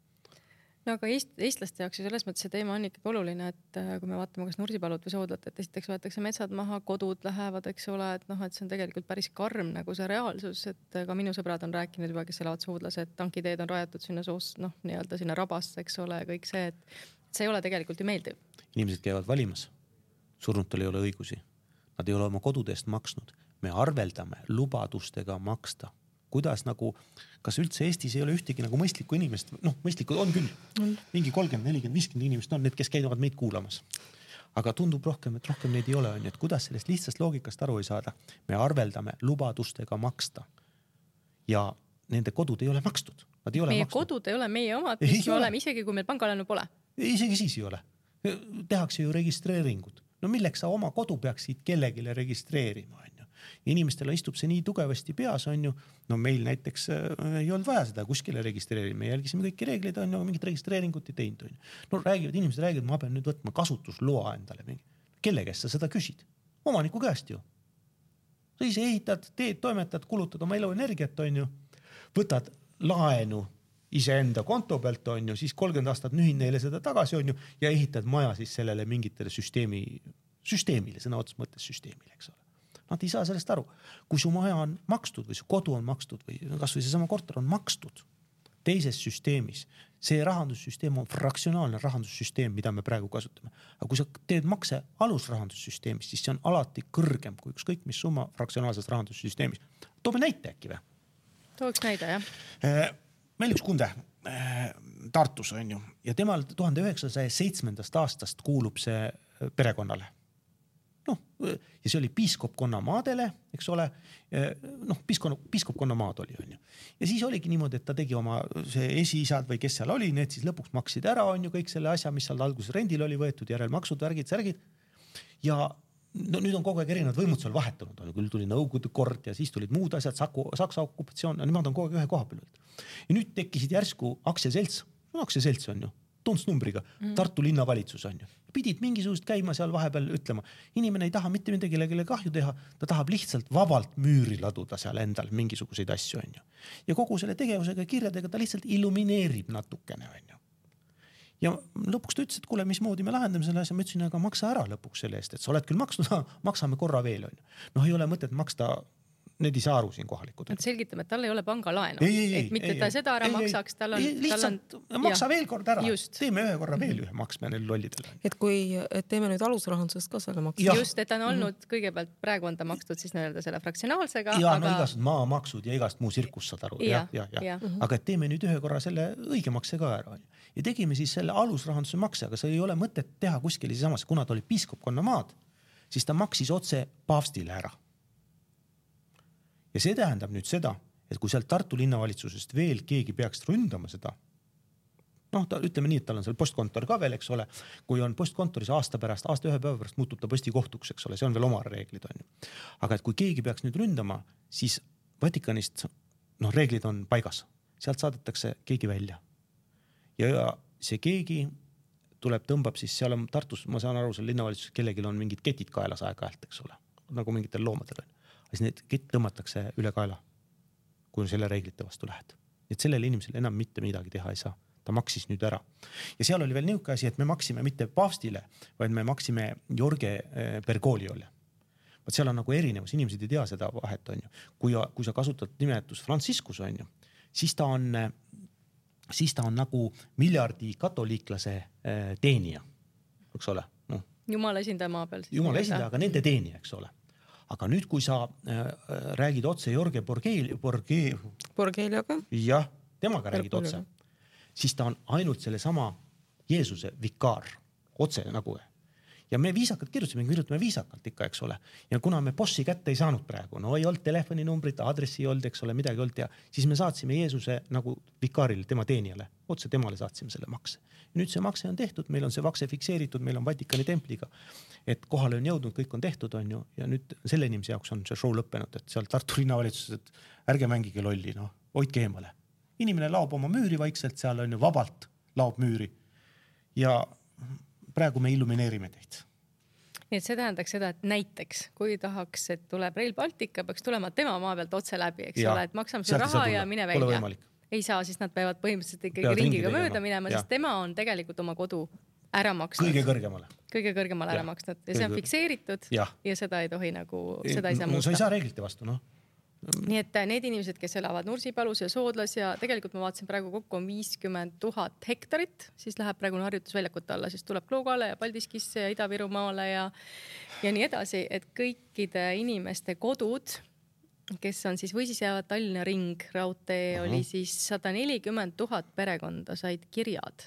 No aga eestlaste jaoks ju selles mõttes see teema on ikkagi oluline, et kui me vaatame kas Nursipalud või Soodlat, et esiteks võetakse metsad maha, kodud lähevad, eks ole, et see on tegelikult päris karm nagu see reaalsus, et ka minu sõbrad on rääkinud juba, kes elavad Soodlas, et tankiteed on rajatud sinna nii-öelda sinna rabasse, eks ole, kõik see, et see ei ole tegelikult ju meeldiv. Inimesed käivad valimas, surnutel ei ole õigusi, nad ei ole oma kodudest maksnud, me arveldame lubadustega maksta. Kuidas nagu, kas üldse Eestis ei ole ühtegi nagu mõistlikku inimest, mõistlikud on küll, mingi 30, 40, 50 inimest on need, kes käivad meid kuulamas. Aga tundub rohkem, et rohkem neid ei ole, on, et kuidas sellest lihtsast loogikast aru ei saada. Me arveldame lubadustega maksta ja nende kodud ei ole makstud. Meie kodud ei ole meie omad, mis me oleme, isegi kui meil pangalaenu pole. Isegi siis ei ole. Tehakse ju registreeringud. No milleks sa oma kodu peaksid kellegile registreerima, on ju. Inimestele istub see nii tugevasti peas, on ju. No meil näiteks ei olnud vaja seda kuskile registreerima. Me jälgisime kõiki reegleid, on ju, mingit registreeringut ei teinud, on ju. No inimesed räägivad, ma pean nüüd võtma kasutusloa endale. Kelle käest sa seda küsid? Omaniku käest ju. Sa ise ehitad, teed, toimetad, kulutad oma elu energiat, on ju. Võtad laenu iseenda konto pealt on ju, siis 30 aastat nühin neile seda tagasi on ju ja ehitad maja siis sellele mingitele süsteemile, sõna otseses mõttes süsteemile, eks ole. Nad ei saa sellest aru. Kui su maja on makstud või su kodu on makstud või kas või seesama korter on makstud teises süsteemis, see rahandussüsteem on fraktsionaalne rahandussüsteem, mida me praegu kasutame. Aga kui sa teed makse alusrahandussüsteemis, siis see on alati kõrgem kui ükskõik mis summa fraktsionaalses rahandussüsteemis. Toome näite äkki või? Tooks näide, jah. Meil üks kunde Tartus on ju ja temal 1907. aastast kuulub see perekonnale. Noh, ja see oli piiskopkonna maadele, eks ole, noh, piiskopkonna maad oli, on ju. Ja siis oligi niimoodi, et ta tegi oma see esiisad või kes seal oli, need siis lõpuks maksid ära, on ju, kõik selle asja, mis seal alguses rendil oli võetud, järelmaksud, värgid, särgid. Ja no, nüüd on kogu aeg erinevad võimud seal vahetunud, on ju, küll tuli Nõukogude kord ja siis tulid muud asjad, Saksa okupatsioon, nemad on kogu aeg ühe koha peal. Ja nüüd tekkisid järsku aktsiaselts on ju, tuntsnumbriga, Tartu linnavalitsus on ju. Pidid mingisugust käima seal vahepeal ütlema. Inimene ei taha mitte midagi kahju teha, ta tahab lihtsalt vabalt müüri laduda seal endal mingisuguseid asju on ju. Ja kogu selle tegevusega ja kirjadega ta lihtsalt illumineerib natukene on ju. Ja lõpuks ta ütles, et kuule, mismoodi me lahendame selle asja, ma ütlesin, aga maksa ära lõpuks selle eest, et sa oled küll maksnud, maksame korra veel on ju. Noh, ei ole mõtet maksta, need ei saa aru siin kohalikud. Nad selgitame, et tal ei ole pangalaenu. Et mitte ta seda ära maksaks, tal on... Lihtsalt maksa veel kord ära. Teeme ühe korra veel ühe maksme neil lollidele. Et kui teeme nüüd alusrahandusest ka selle maksa. Just, et ta on olnud kõigepealt, praegu on ta makstud siis nii-öelda selle fraktsionaalsega. Ja no igast maamaksud ja igast muu sirkus saad aru. Ja. Aga et teeme nüüd ühe korra selle õige makse ka ära. Ja tegime siis selle alusrahanduse makse, aga see ei ole mõtet teha kuskil samas, kuna ta oli piiskopkonna maad, siis ta maksis otse paavstile ära. Ja see tähendab nüüd seda, et kui sealt Tartu linnavalitsusest veel keegi peaks ründama seda, noh, ütleme nii, et tal on seal postkontor ka veel, eks ole, kui on postkontoris aasta ühe päeva pärast muutub ta postikohtuks, eks ole, see on veel oma reeglid on ju. Aga et kui keegi peaks nüüd ründama, siis Vatikanist, noh, reeglid on paigas, sealt saadetakse keegi välja. Ja see keegi tõmbab siis, seal on Tartus, ma saan aru, seal linnavalitsuses kellelgi on mingid ketid kaelas aeg-ajalt, eks ole, nagu mingitel loomadel on. Siis need kett tõmmatakse üle kaela, kui selle reeglite vastu lähed. Et sellele inimesele enam mitte midagi teha ei saa. Ta maksis nüüd ära. Ja seal oli veel niuke asi, et me maksime mitte paavstile, vaid me maksime Jorge Bergogliole. Seal on nagu erinevus, inimesed ei tea seda vahet on ju. Kui sa kasutad nimetus Franciscus on ju, siis ta on nagu miljardi katoliiklase teenija, eks ole. No. Jumala esindaja maa peal. Jumala esindaja, aga nende teenija, eks ole. Aga nüüd, kui sa räägid otse Jorge Borgelioga, jah, temaga räägid otse, siis ta on ainult selle sama Jeesuse vikaar, otse nagu. Ja me kirjutame viisakalt ikka, eks ole. Ja kuna me bossi kätte ei saanud praegu, no ei olnud telefoninumbrit, aadressi ei olnud, eks ole, midagi ei olnud ja siis me saatsime Jeesuse nagu vikaarile, tema teenijale, otse temale saatsime selle makse. Ja nüüd see makse on tehtud, meil on see makse fikseeritud, meil on Vatikani templiga, et kohale on jõudnud, kõik on tehtud on ju ja nüüd selle inimese jaoks on see show lõppenud, et seal Tartu linnavalitsuses, et ärge mängige lolli, no, hoidke eemale. Inimene laob oma müüri vaikselt, seal on ju vabalt laob müüri ja praegu me illumineerime teid. Nii et see tähendaks seda, et näiteks, kui tahaks, et tuleb Rail Baltica, peaks tulema tema maa pealt otse läbi, eks ole, et maksame see raha ja mine välja. Ei saa, siis nad peavad põhimõtteliselt ikkagi ringiga mööda minema, sest tema on tegelikult oma kodu ära maksnud. Kõige kõrgemale ära maksnud. Ja see on fikseeritud ja seda ei tohi nagu, seda ei saa muuta. No sa ei saa reeglite vastu, noh. Nii et need inimesed, kes elavad Nursipalus ja Soodlas ja tegelikult ma vaatasin praegu kokku on 50 000 hektarit, siis läheb praegu harjutusväljakute alla, siis tuleb Kloogale ja Paldiskisse ja Ida-Virumaale ja nii edasi, et kõikide inimeste kodud, kes on siis või siis jäävad Tallinna ring, raudtee oli siis 140 000 perekonda said kirjad.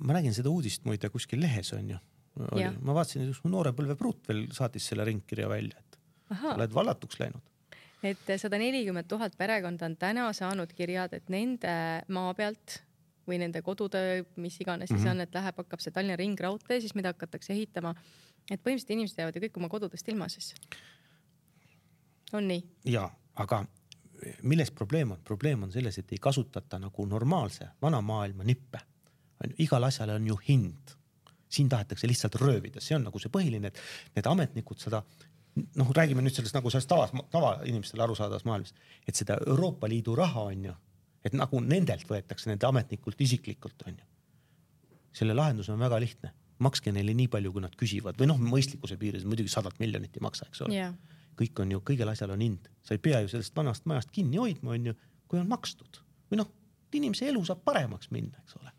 Ma nägin seda uudist muide kuskil lehes on ju. Ma vaatasin, et noore põlve pruut veel saatis selle ringkirja välja, et oled vallatuks läinud. Et 140 000 perekonda on täna saanud kirjad, et nende maa pealt või nende kodutöö, mis iganes siis on, et hakkab see Tallinna ring raudtee, siis mida hakatakse ehitama. Et põhimõtteliselt inimesed jäävad ju kõik oma kodudest ilma siis. On nii? Ja, aga milles probleem on? Probleem on selles, et ei kasutata nagu normaalse vana maailma nippe. Igal asjale on ju hind. Siin tahetakse lihtsalt röövida. See on nagu see põhiline, et need ametnikud seda noh, räägime nüüd sellest nagu sellest tava inimestele arusaadavas maailmas, et seda Euroopa Liidu raha on ju, et nagu nendelt võetakse nende ametnikult isiklikult on ju. Selle lahendus on väga lihtne. Makske neile nii palju, kui nad küsivad või noh, mõistlikkuse piires muidugi 100 miljonit ei maksa, eks ole. Kõik on ju, kõigel asjal on hind. Sa ei pea ju sellest vanast majast kinni hoidma, on ju, kui on makstud. Või noh, inimese elu saab paremaks minna, eks ole.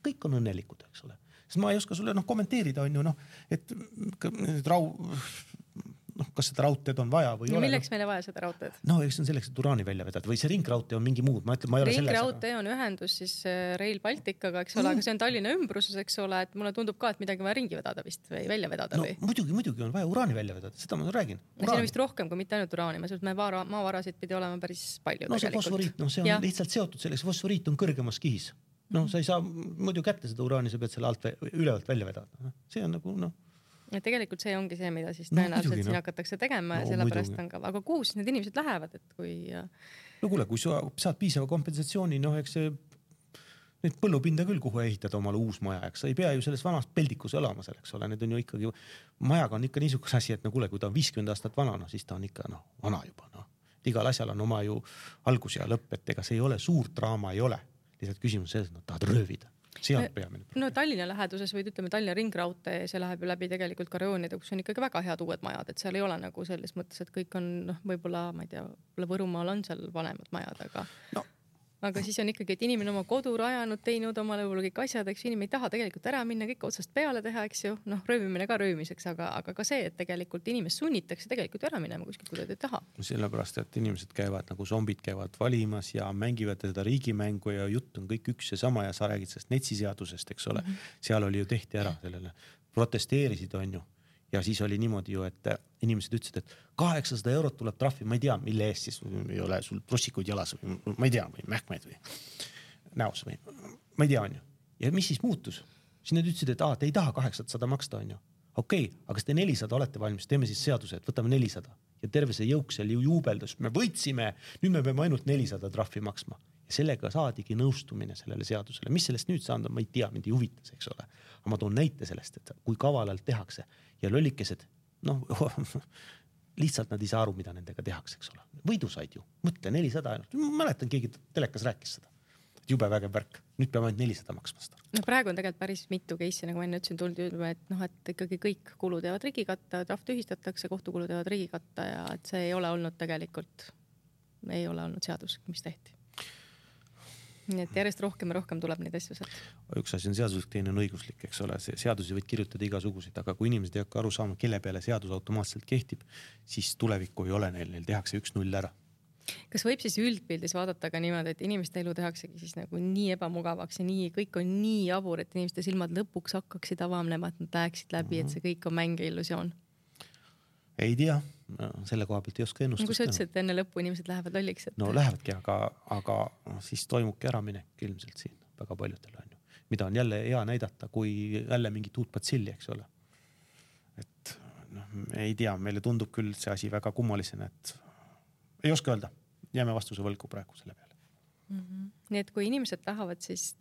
Kõik on õnnelikud, eks ole. Sest ma ei oska sulle kommenteerida, on ju, et kas seda raudteed on vaja või ei ole. Milleks meile vaja seda raudteed? No, eks on selleks, et uraani välja vedada või see ringraudtee on mingi muud. Ringraudtee on ühendus siis Rail Balticaga, eks ole, aga see on Tallinna ümbruses, eks ole, et mulle tundub ka, et midagi vaja ringi vedada vist või välja vedada või? Muidugi on vaja uraani välja vedada, seda ma räägin. See on vist rohkem kui mitte ainult uraani, maavarasid pidi olema päris palju tegelikult. See fosforiit, see on lihtsalt seotud selleks, fosforiit on kõrgemas kihis. Sa ei saa muidu kätte seda uraani, sa pead selle ülevalt välja vedada. See on nagu ja tegelikult see ongi see, mida siis tõenäoliselt siin hakatakse tegema ja sellepärast on ka, aga kuhu siis need inimesed lähevad, et kui... No kuule, kui sa saad piisava kompensatsiooni, eks see neid põllupinda küll, kuhu ehitada omale uus maja, eks sa ei pea ju selles vanast peldikus elama selleks ole, need on ju ikkagi, majaga on ikka niisugune asi, et kuule, kui ta on 50 aastat vana, siis ta on ikka vana juba. Igal asjal on oma ju algus ja lõpp, et ega see ei ole suurt draama, ei ole. Lihtsalt küsimus selles, et nad tahavad röövida. No Tallinna läheduses või ütleme Tallinna ringraudtee, see läheb ju läbi tegelikult Karjoonide, kus on ikkagi väga head uued majad, et seal ei ole nagu selles mõttes, et kõik on võib-olla, ma ei tea, Võrumaal on seal vanemad majad, aga siis on ikkagi, et inimene oma kodu rajanud, teinud omale võib-olla kõik asjad, eks inimene ei taha tegelikult ära minna, kõik otsast peale teha, eks ju, röövimine ka röömiseks, aga ka see, et tegelikult inimest sunnitakse tegelikult ära minema kuskilt, kui ta ei taha. Sellepärast, et inimesed käivad nagu zombid käivad valimas ja mängivad seda riigimängu ja jutt on kõik üks ja sama ja sa räägid sellest netsiseadusest, eks ole. Seal oli ju tehti ära sellele, protesteerisid on ju. Ja siis oli niimoodi ju, et inimesed ütlesid, et 800 eurot tuleb trahvi, ma ei tea, mille eest siis ei ole sul prossikuid jalas või ma ei tea, või mähkmeid või näos või ma ei tea, on ju. Ja mis siis muutus? Siis nad ütlesid, et te ei taha 800 maksta, on ju. Okei, aga kas te 400 olete valmis, teeme siis seaduse, et võtame 400. Ja terve see jõuk seal ju juubeldas, me võitsime, nüüd me peame ainult 400 trahvi maksma. Ja sellega saadigi nõustumine sellele seadusele. Mis sellest nüüd saanud on, ma ei tea, mind ei huvitas, eks ole. Aga ma toon näite sellest, et kui kavalalt tehakse ja lollikesed, lihtsalt nad ei saa aru, mida nendega tehakse, eks ole. Võidu said ju, mõtle 400 ainult. Ma mäletan, keegi telekas rääkis seda. Jube vägev värk. Nüüd peame ainult 400 maksma seda. Praegu on tegelikult päris mitu case'i, nagu enne ütlesin, tuldi ütlema, et ikkagi kõik kulud jäävad riigikatta, trahv tühistatakse, kohtukulud jäävad riigikatta ja et see ei ole olnud tegelikult, ei ole olnud seadus, mis tehti. Nii et järjest rohkem ja rohkem tuleb neid asju sealt. Üks asi on seaduslik, teine on õiguslik, eks ole. Seadusi võid kirjutada igasuguseid, aga kui inimesed ei hakka aru saama, kelle peale seadus automaatselt kehtib, siis tulevikku ei ole neil tehakse 1-0 ära. Kas võib siis üldpildis vaadata ka niimoodi, et inimeste elu tehaksegi siis nagu nii ebamugavaks ja nii, kõik on nii jabur, et inimeste silmad lõpuks hakkaksid avamnema, et nad läheksid läbi, et see kõik on mäng ja illusioon? Ei tea, selle koha pealt ei oska ennustust. Nagu sa ütlesid, et enne lõppu inimesed lähevad lolliks. No lähevadki, aga siis toimubki äraminek ilmselt siin väga paljudel on ju. Mida on jälle hea näidata, kui jälle mingit uut patsilli, eks ole. Et ei tea, meile tundub küll see asi väga kummalisena, et ei oska öelda. Jääme vastuse võlgu praegu selle peale. Nii et kui inimesed tahavad siis,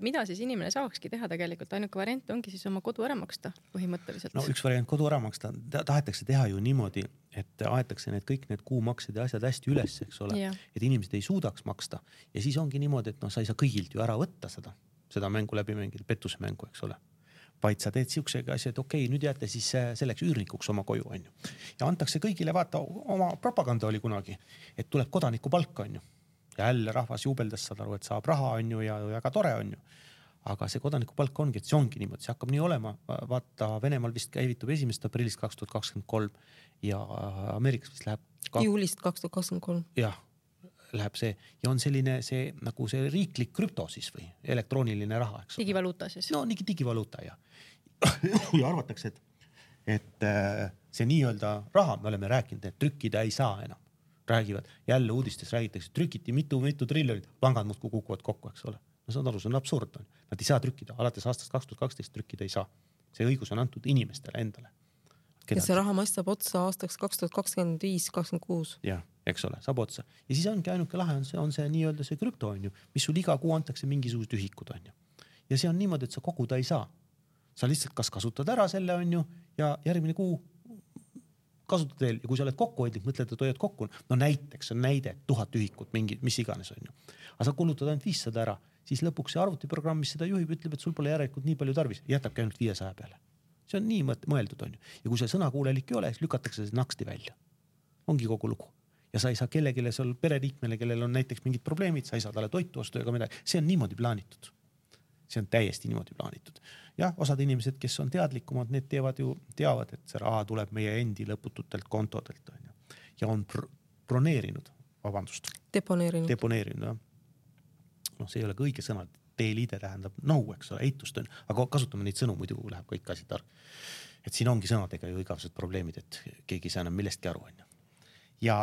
mida siis inimene saakski teha tegelikult, ainuke variant ongi siis oma kodu ära maksta põhimõtteliselt. No üks variant kodu ära maksta, tahetakse teha ju niimoodi, et aetakse kõik need kuumaksed ja asjad hästi üles, eks ole, et inimesed ei suudaks maksta ja siis ongi niimoodi, et sa ei saa kõigilt ju ära võtta seda mängu läbi mängida, pettuse mängu, eks ole. Vaid sa teed siuksega asja, et okei, nüüd jääte siis selleks üürnikuks oma koju, on ju. Ja antakse kõigile, vaata, oma propaganda oli kunagi, et tuleb kodaniku palk, on ju. Ja jälle rahvas juubeldas, saad aru, et saab raha, on ju, ja väga tore, on ju. Aga see kodaniku palk ongi, et see ongi niimoodi, see hakkab nii olema. Vaata, Venemaal vist käivitub 1. aprillist 2023 ja Ameerikas vist läheb... Juulist 2023. Jah, läheb see. Ja on selline see, nagu see riiklik krüpto siis või elektrooniline raha, eks. Digivaluuta siis. No, digivaluuta, ja. Ja arvatakse, et see nii-öelda raha, me oleme rääkinud, et trükkida ei saa enam. Räägivad, jälle uudistes räägitakse, trükiti mitu triljonit, pangad muudkui kukuvad kokku, eks ole. No see on aru, see on absurd. Nad ei saa trükkida, alates aastast 2012 trükkida ei saa. See õigus on antud inimestele endale. Ja see raha massab otsa aastaks 2025-2026. Jah, eks ole, saab otsa. Ja siis ongi ainuke lahe, on see nii-öelda see krüpto, on ju, mis sul iga kuu antakse mingisugused ühikud, on ju. Ja see on niimoodi, et sa koguda ei saa. Sa lihtsalt kas kasutad ära selle, on ju, ja järgmine kuu kasutad veel ja kui sa oled kokkuhoidlik, mõtled, et hoiad kokku, no näiteks on näide 1000 ühikut, mingi, mis iganes on ju. Aga sa kulutad ainult 500 ära, siis lõpuks see arvutiprogramm, mis seda juhib, ütleb, et sul pole järelikult nii palju tarvis, jätabki ainult 500 peale. See on nii mõeldud on ju. Ja kui see sõnakuulelik ei ole, siis lükatakse see naksti välja. Ongi kogu lugu. Ja sa ei saa kellegile seal pereliikmele, kellel on näiteks mingid probleemid, sa ei saa talle toitu ostu ega midagi. See on niimoodi plaanitud. See on täiesti niimoodi plaanitud. Ja osad inimesed, kes on teadlikumad, need teavad, et see raha tuleb meie endi lõpututelt kontodelt on ju. Ja on broneerinud, vabandust. Deponeerinud, jah. No see ei ole ka õige sõna. Teeliide tähendab eks ole, eitust on. Aga kasutame neid sõnu, muidu läheb kõik asi tark. Et siin ongi sõnadega ju igavesed probleemid, et keegi ei saa enam millestki aru on ju. Ja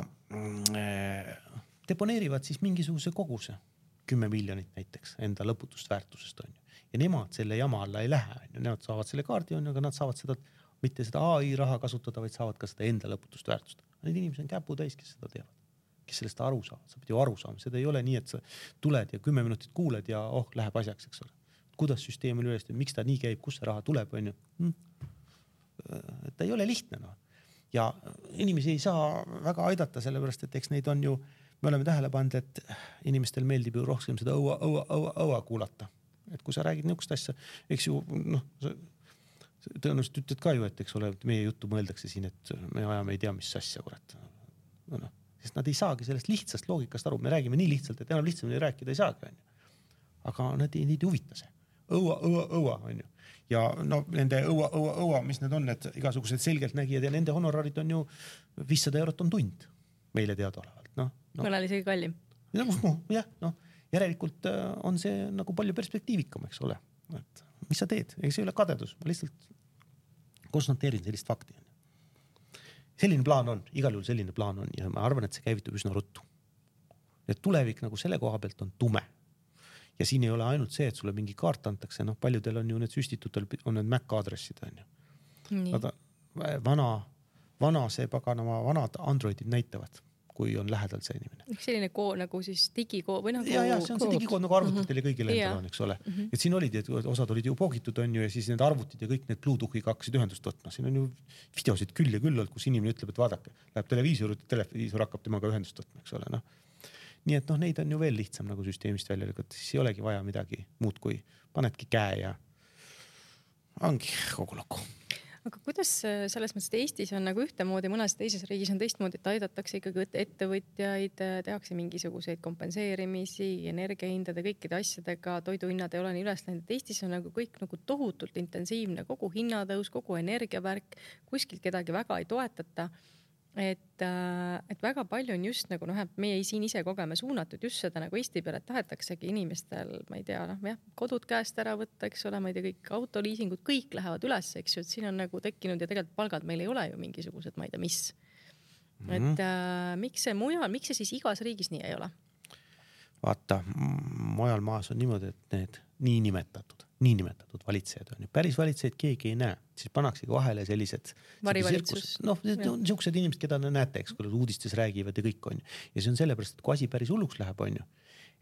deponeerivad siis mingisuguse koguse, 10 miljonit näiteks, enda lõputust väärtusest on ju. Ja nemad selle jama alla ei lähe, on ju. Nemad saavad selle kaardi on ju, aga nad saavad seda, mitte seda AI raha kasutada, vaid saavad ka seda enda lõputust väärtust. Need inimesed on käpu täis, kes seda teevad, kes sellest aru saavad. Sa pead ju aru saama, seda ei ole nii, et sa tuled ja 10 minutit kuuled ja läheb asjaks, eks ole. Kuidas süsteem on üles, miks ta nii käib, kus see raha tuleb, on ju. Ta ei ole lihtne, no. Ja inimesi ei saa väga aidata, sellepärast, et eks neid on ju, me oleme tähele pannud, et inimestel meeldib ju rohkem seda õua kuulata. Et kui sa räägid niisugust asja, eks ju, tõenäoliselt ütled ka ju, et eks ole, meie juttu mõeldakse siin, et me ajame ei tea, mis asja, kurat. Sest nad ei saagi sellest lihtsast loogikast aru. Me räägime nii lihtsalt, et enam lihtsamini rääkida ei saagi, on ju. Aga nad ei huvita see. Õua, on ju. Ja no nende õua, mis need on, need igasugused selgelt nägijad ja nende honorarid on ju 500 eurot on tund meile teadaolevalt. No. Mõnel isegi kallim. Jah, järelikult on see nagu palju perspektiivikam, eks ole. Et mis sa teed? Ega see ei ole kadedus, ma lihtsalt konstateerin sellist fakti. Selline plaan on, igal juhul selline plaan on ja ma arvan, et see käivitub üsna ruttu. Et tulevik nagu selle koha pealt on tume. Ja siin ei ole ainult see, et sulle mingi kaart antakse, paljudel on ju need süstitutel, on need Mac aadressid, on ju. Vana see paganama, vanad Androidid näitavad, kui on lähedal see inimene. Selline nagu siis digikood või nagu... Ja see on see digikood nagu arvutitel ja kõigil endal on, eks ole. Et siin olid, et osad olid ju poogitud, on ju, ja siis need arvutid ja kõik need Bluetoothiga hakkasid ühendust võtma. Siin on ju videosid küll ja küll, kus inimene ütleb, et vaadake, läheb televiisor hakkab temaga ühendust võtma, eks ole, Nii et neid on ju veel lihtsam nagu süsteemist välja lükata, siis ei olegi vaja midagi muud kui panedki käe ja ongi kogu lugu. Aga kuidas selles mõttes, et Eestis on nagu ühtemoodi, mõnes teises riigis on teistmoodi, et aidatakse ikkagi ettevõtjaid, tehakse mingisuguseid kompenseerimisi, energiahindade, kõikide asjadega, toiduhinnad ei ole nii üles läinud. Eestis on nagu kõik nagu tohutult intensiivne, kogu hinnatõus, kogu energiavärk, kuskilt kedagi väga ei toetata. Et väga palju on just nagu meie siin ise kogeme suunatud just seda nagu Eesti peale, et tahetaksegi inimestel, ma ei tea, kodud käest ära võtta, eks ole, ma ei tea, kõik autoliisingud, kõik lähevad üles, eks ju, et siin on nagu tekkinud ja tegelikult palgad meil ei ole ju mingisugused, ma ei tea, mis. Et miks see siis igas riigis nii ei ole? Vaata, mujal maas on niimoodi, et need niinimetatud valitsejad on ju. Päris valitsejaid keegi ei näe. Siis pannakse vahele sellised varivalitsus. Niisugused inimesed, keda näete, eks, kui uudistes räägivad ja kõik on ju. Ja see on sellepärast, et kui asi päris hulluks läheb, on ju,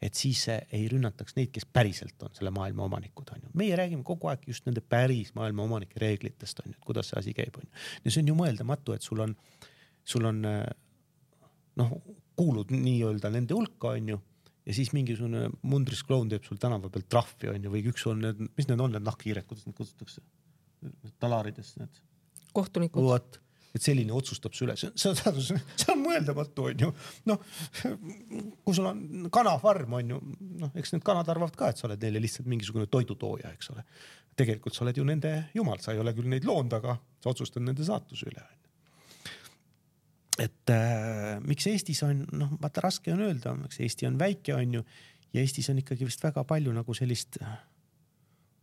et siis ei rünnataks neid, kes päriselt on selle maailma omanikud, on ju. Meie räägime kogu aeg just nende päris maailma omanike reeglitest, on ju, et kuidas see asi käib, on ju. Ja see on ju mõeldamatu, et sul on kuulud nii-öelda nende hulka, on ju. Ja siis mingisugune mundris kloun teeb sul tänava pealt trahvi on ju, või üks on need, mis need on need nahkhiired, kuidas need kutsutakse? Talarides need. Kohtunikud. Võt, et selline otsustab su üle. See on mõeldamatu on ju. Kui sul on kanafarm on ju, eks need kanad arvavad ka, et sa oled neile lihtsalt mingisugune toidutooja, eks ole. Tegelikult sa oled ju nende jumal, sa ei ole küll neid loond, aga sa otsustad nende saatuse üle. Et miks Eestis on, vaata raske on öelda, miks Eesti on väike on ju ja Eestis on ikkagi vist väga palju nagu sellist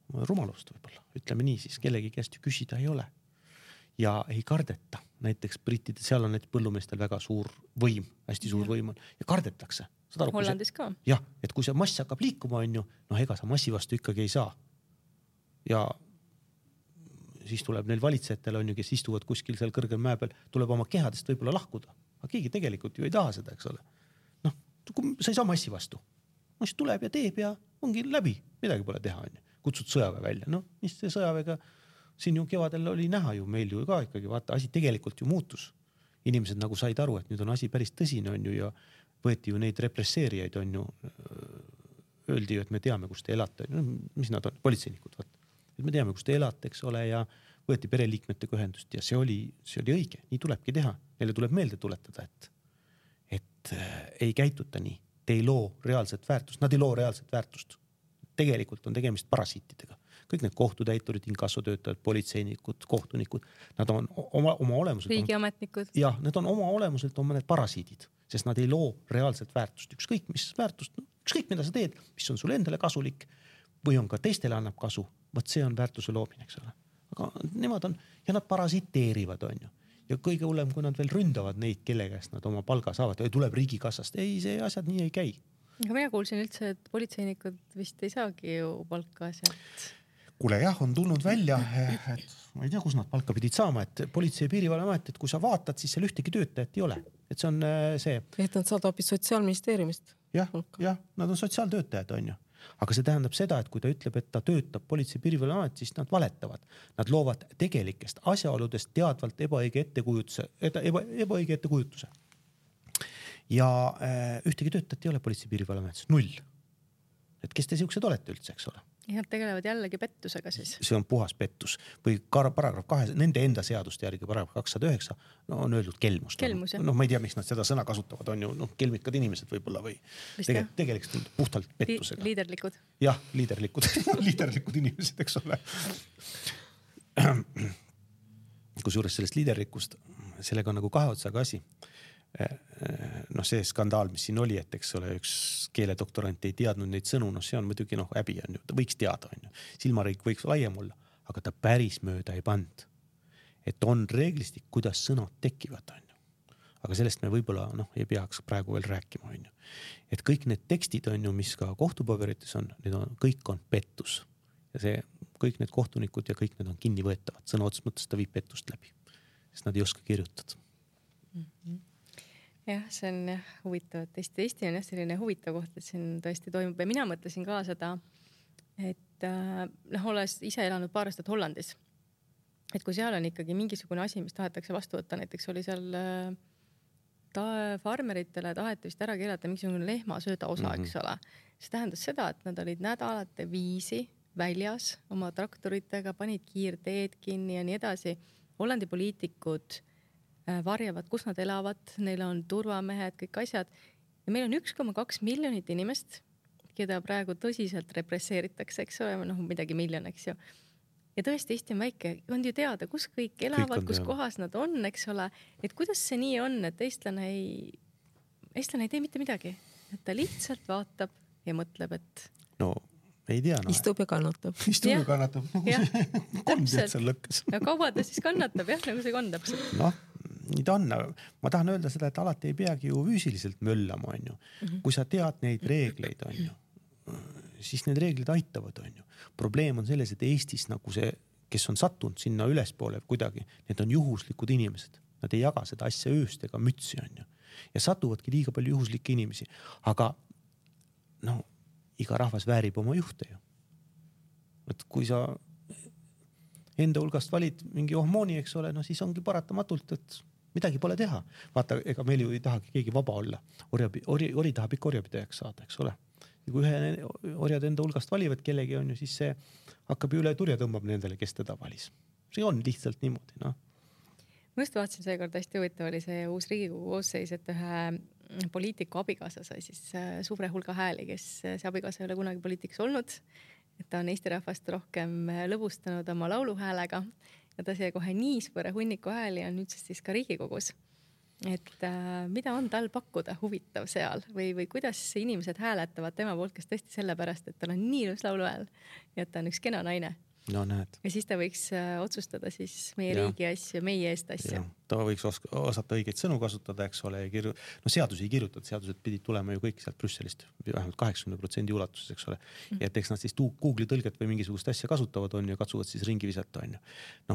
rumalust võib-olla, ütleme nii, siis kellegi käest ju küsida ei ole ja ei kardeta. Näiteks brittide, seal on need põllumeestel väga suur võim, hästi suur võim on ja kardetakse. Hollandis ka. Jah, et kui see mass hakkab liikuma on ju, ega sa massi vastu ikkagi ei saa. Ja siis tuleb neil valitsejatel on ju, kes istuvad kuskil seal kõrgel mäe peal, tuleb oma kehadest võib-olla lahkuda. Aga keegi tegelikult ju ei taha seda, eks ole. Sa ei saa massi vastu. Siis tuleb ja teeb ja ongi läbi. Midagi pole teha, on ju. Kutsud sõjaväe välja. Mis see sõjaväega siin ju kevadel oli näha ju meil ju ka ikkagi. Vaata, asi tegelikult ju muutus. inimesed nagu said aru, et nüüd on asi päris tõsine, on ju, ja võeti ju neid represseerijaid, on ju, öeldi ju, et me teame, kus te elate, no, mis nad on, politseinikud, et me teame, kus te elate, eks ole, ja võeti pereliikmetega ühendust ja see oli õige, nii tulebki teha. Neile tuleb meelde tuletada, et ei käituta nii, te ei loo reaalset väärtust, nad ei loo reaalset väärtust. Tegelikult on tegemist parasiitidega. Kõik need kohtutäiturid, inkassotöötajad, politseinikud, kohtunikud, nad on oma olemuselt. Riigiametnikud. Jah, need on oma olemuselt on need parasiidid, sest nad ei loo reaalset väärtust. Ükskõik, mis väärtust, ükskõik, mida sa teed, mis on sulle endale kasulik või on ka teistele annab kasu, võt see on väärtuse loomine, eks ole. Aga nemad on, ja nad parasiteerivad, on ju. Ja kõige hullem, kui nad veel ründavad neid, kelle käest nad oma palga saavad, tuleb riigikassast. Ei, see asjad nii ei käi. Aga mina kuulsin üldse, et politseinikud vist ei saagi ju palka sealt. Kuule jah, on tulnud välja, et ma ei tea, kus nad palka pidid saama, et politsei- ja piirivalveamet, et kui sa vaatad, siis seal ühtegi töötajat ei ole. Et see on see. Et nad saad hoopis Sotsiaalministeeriumist. Jah, nad on sotsiaaltöötajad, on ju. Aga see tähendab seda, et kui ta ütleb, et ta töötab politsei- ja piirivalveamet, siis nad valetavad. Nad loovad tegelikest asjaoludest teadvalt ebaõige ettekujutuse. Ja ühtegi töötajat ei ole politsei- ja piirivalveametis, 0. Et kes te siuksed olete üldse, eks ole? Ja nad tegelevad jällegi pettusega siis. See on puhas pettus või paragrahv 2, nende enda seaduste järgi paragrahv 209 on öeldud kelmus. Kelmus, jah. No ma ei tea, miks nad seda sõna kasutavad, on ju kelmikad inimesed võib-olla või tegelikult puhtalt pettusega. Liiderlikud. Jah, liiderlikud inimesed, eks ole. Kusjuures sellest liiderlikust, sellega on nagu kahe otsaga asi. See skandaal, mis siin oli, et eks ole, üks keeledoktorant ei teadnud neid sõnu, see on muidugi häbi on ju, ta võiks teada, on ju. Silmariik võiks laiem olla, aga ta päris mööda ei pand. Et on reeglistik, kuidas sõnad tekivad, on ju. Aga sellest me võib-olla ei peaks praegu veel rääkima, on ju. Et kõik need tekstid on ju, mis ka kohtupaberites on, kõik on pettus. Ja see, kõik need kohtunikud ja kõik need on kinni võetavad. Sõna otsest mõttes ta viib pettust läbi, sest nad ei oska kirjutada. Jah, see on huvitav, et Eesti on selline huvitav koht, et siin tõesti toimub ja mina mõtlesin ka seda, et olles ise elanud paar aastat Hollandis, et kui seal on ikkagi mingisugune asi, mis tahetakse vastu võtta, näiteks oli seal farmeritele taheti vist ära keelata mingisugune lehmasööda osa, eks ole. See tähendas seda, et nad olid nädalate viisi väljas oma traktoritega, panid kiirteed kinni ja nii edasi. Hollandi poliitikud varjavad, kus nad elavad, neil on turvamehed, kõik asjad. Ja meil on 1,2 miljonit inimest, keda praegu tõsiselt represseeritakse, eks ole, midagi miljon, eks ju. Ja tõesti, Eesti on väike, on ju teada, kus kõik elavad, kus kohas nad on, eks ole. Et kuidas see nii on, et eestlane ei tee mitte midagi. Et ta lihtsalt vaatab ja mõtleb, et... No ei tea. Istub ja kannatab. Istub ja kannatab. Täpselt. Ja kaua ta siis kannatab, jah, nagu see on täpselt. Nii ta on. Ma tahan öelda seda, et alati ei peagi ju füüsiliselt möllama, on ju. Kui sa tead neid reegleid, on ju, siis need reeglid aitavad, on ju. Probleem on selles, et Eestis nagu see, kes on sattunud sinna ülespoole kuidagi, need on juhuslikud inimesed. Nad ei jaga seda asja ööst ega mütsi, on ju. Ja satuvadki liiga palju juhuslikke inimesi. Aga iga rahvas väärib oma juhte ju. Et kui sa enda hulgast valid mingi ohmooni, eks ole, siis ongi paratamatult, et midagi pole teha. Vaata, ega meil ju ei tahagi keegi vaba olla. Ori tahab ikka orjapidajaks saada, eks ole. Ja kui ühe orjad enda hulgast valivad kellegi, on ju, siis see hakkab üle turja tõmbab nendele, kes teda valis. See on lihtsalt niimoodi, Ma just vaatasin seekord hästi huvitav oli see uus Riigikogu koosseis, et ühe poliitiku abikaasa sai siis suure hulga hääli, kes see abikaasa ei ole kunagi poliitiks olnud. Et ta on Eesti rahvast rohkem lõbustanud oma lauluhäälega ja ta sai kohe nii suure hunniku hääli on nüüdsest siis ka Riigikogus. Et mida on tal pakkuda huvitav seal või kuidas inimesed hääletavad tema poolt, kes tõesti sellepärast, et tal on nii ilus lauluhääl ja et ta on üks kena naine. No näed. Ja siis ta võiks otsustada siis meie riigi asju, meie eest asju. Ta võiks osata õigeid sõnu kasutada, eks ole. Seadusi ei kirjutada, seadused pidid tulema ju kõik sealt Brüsselist, vähemalt 80% ulatuses, eks ole. Ja et eks nad siis Google'i tõlget või mingisugust asja kasutavad on ja katsuvad siis ringi visata on ju.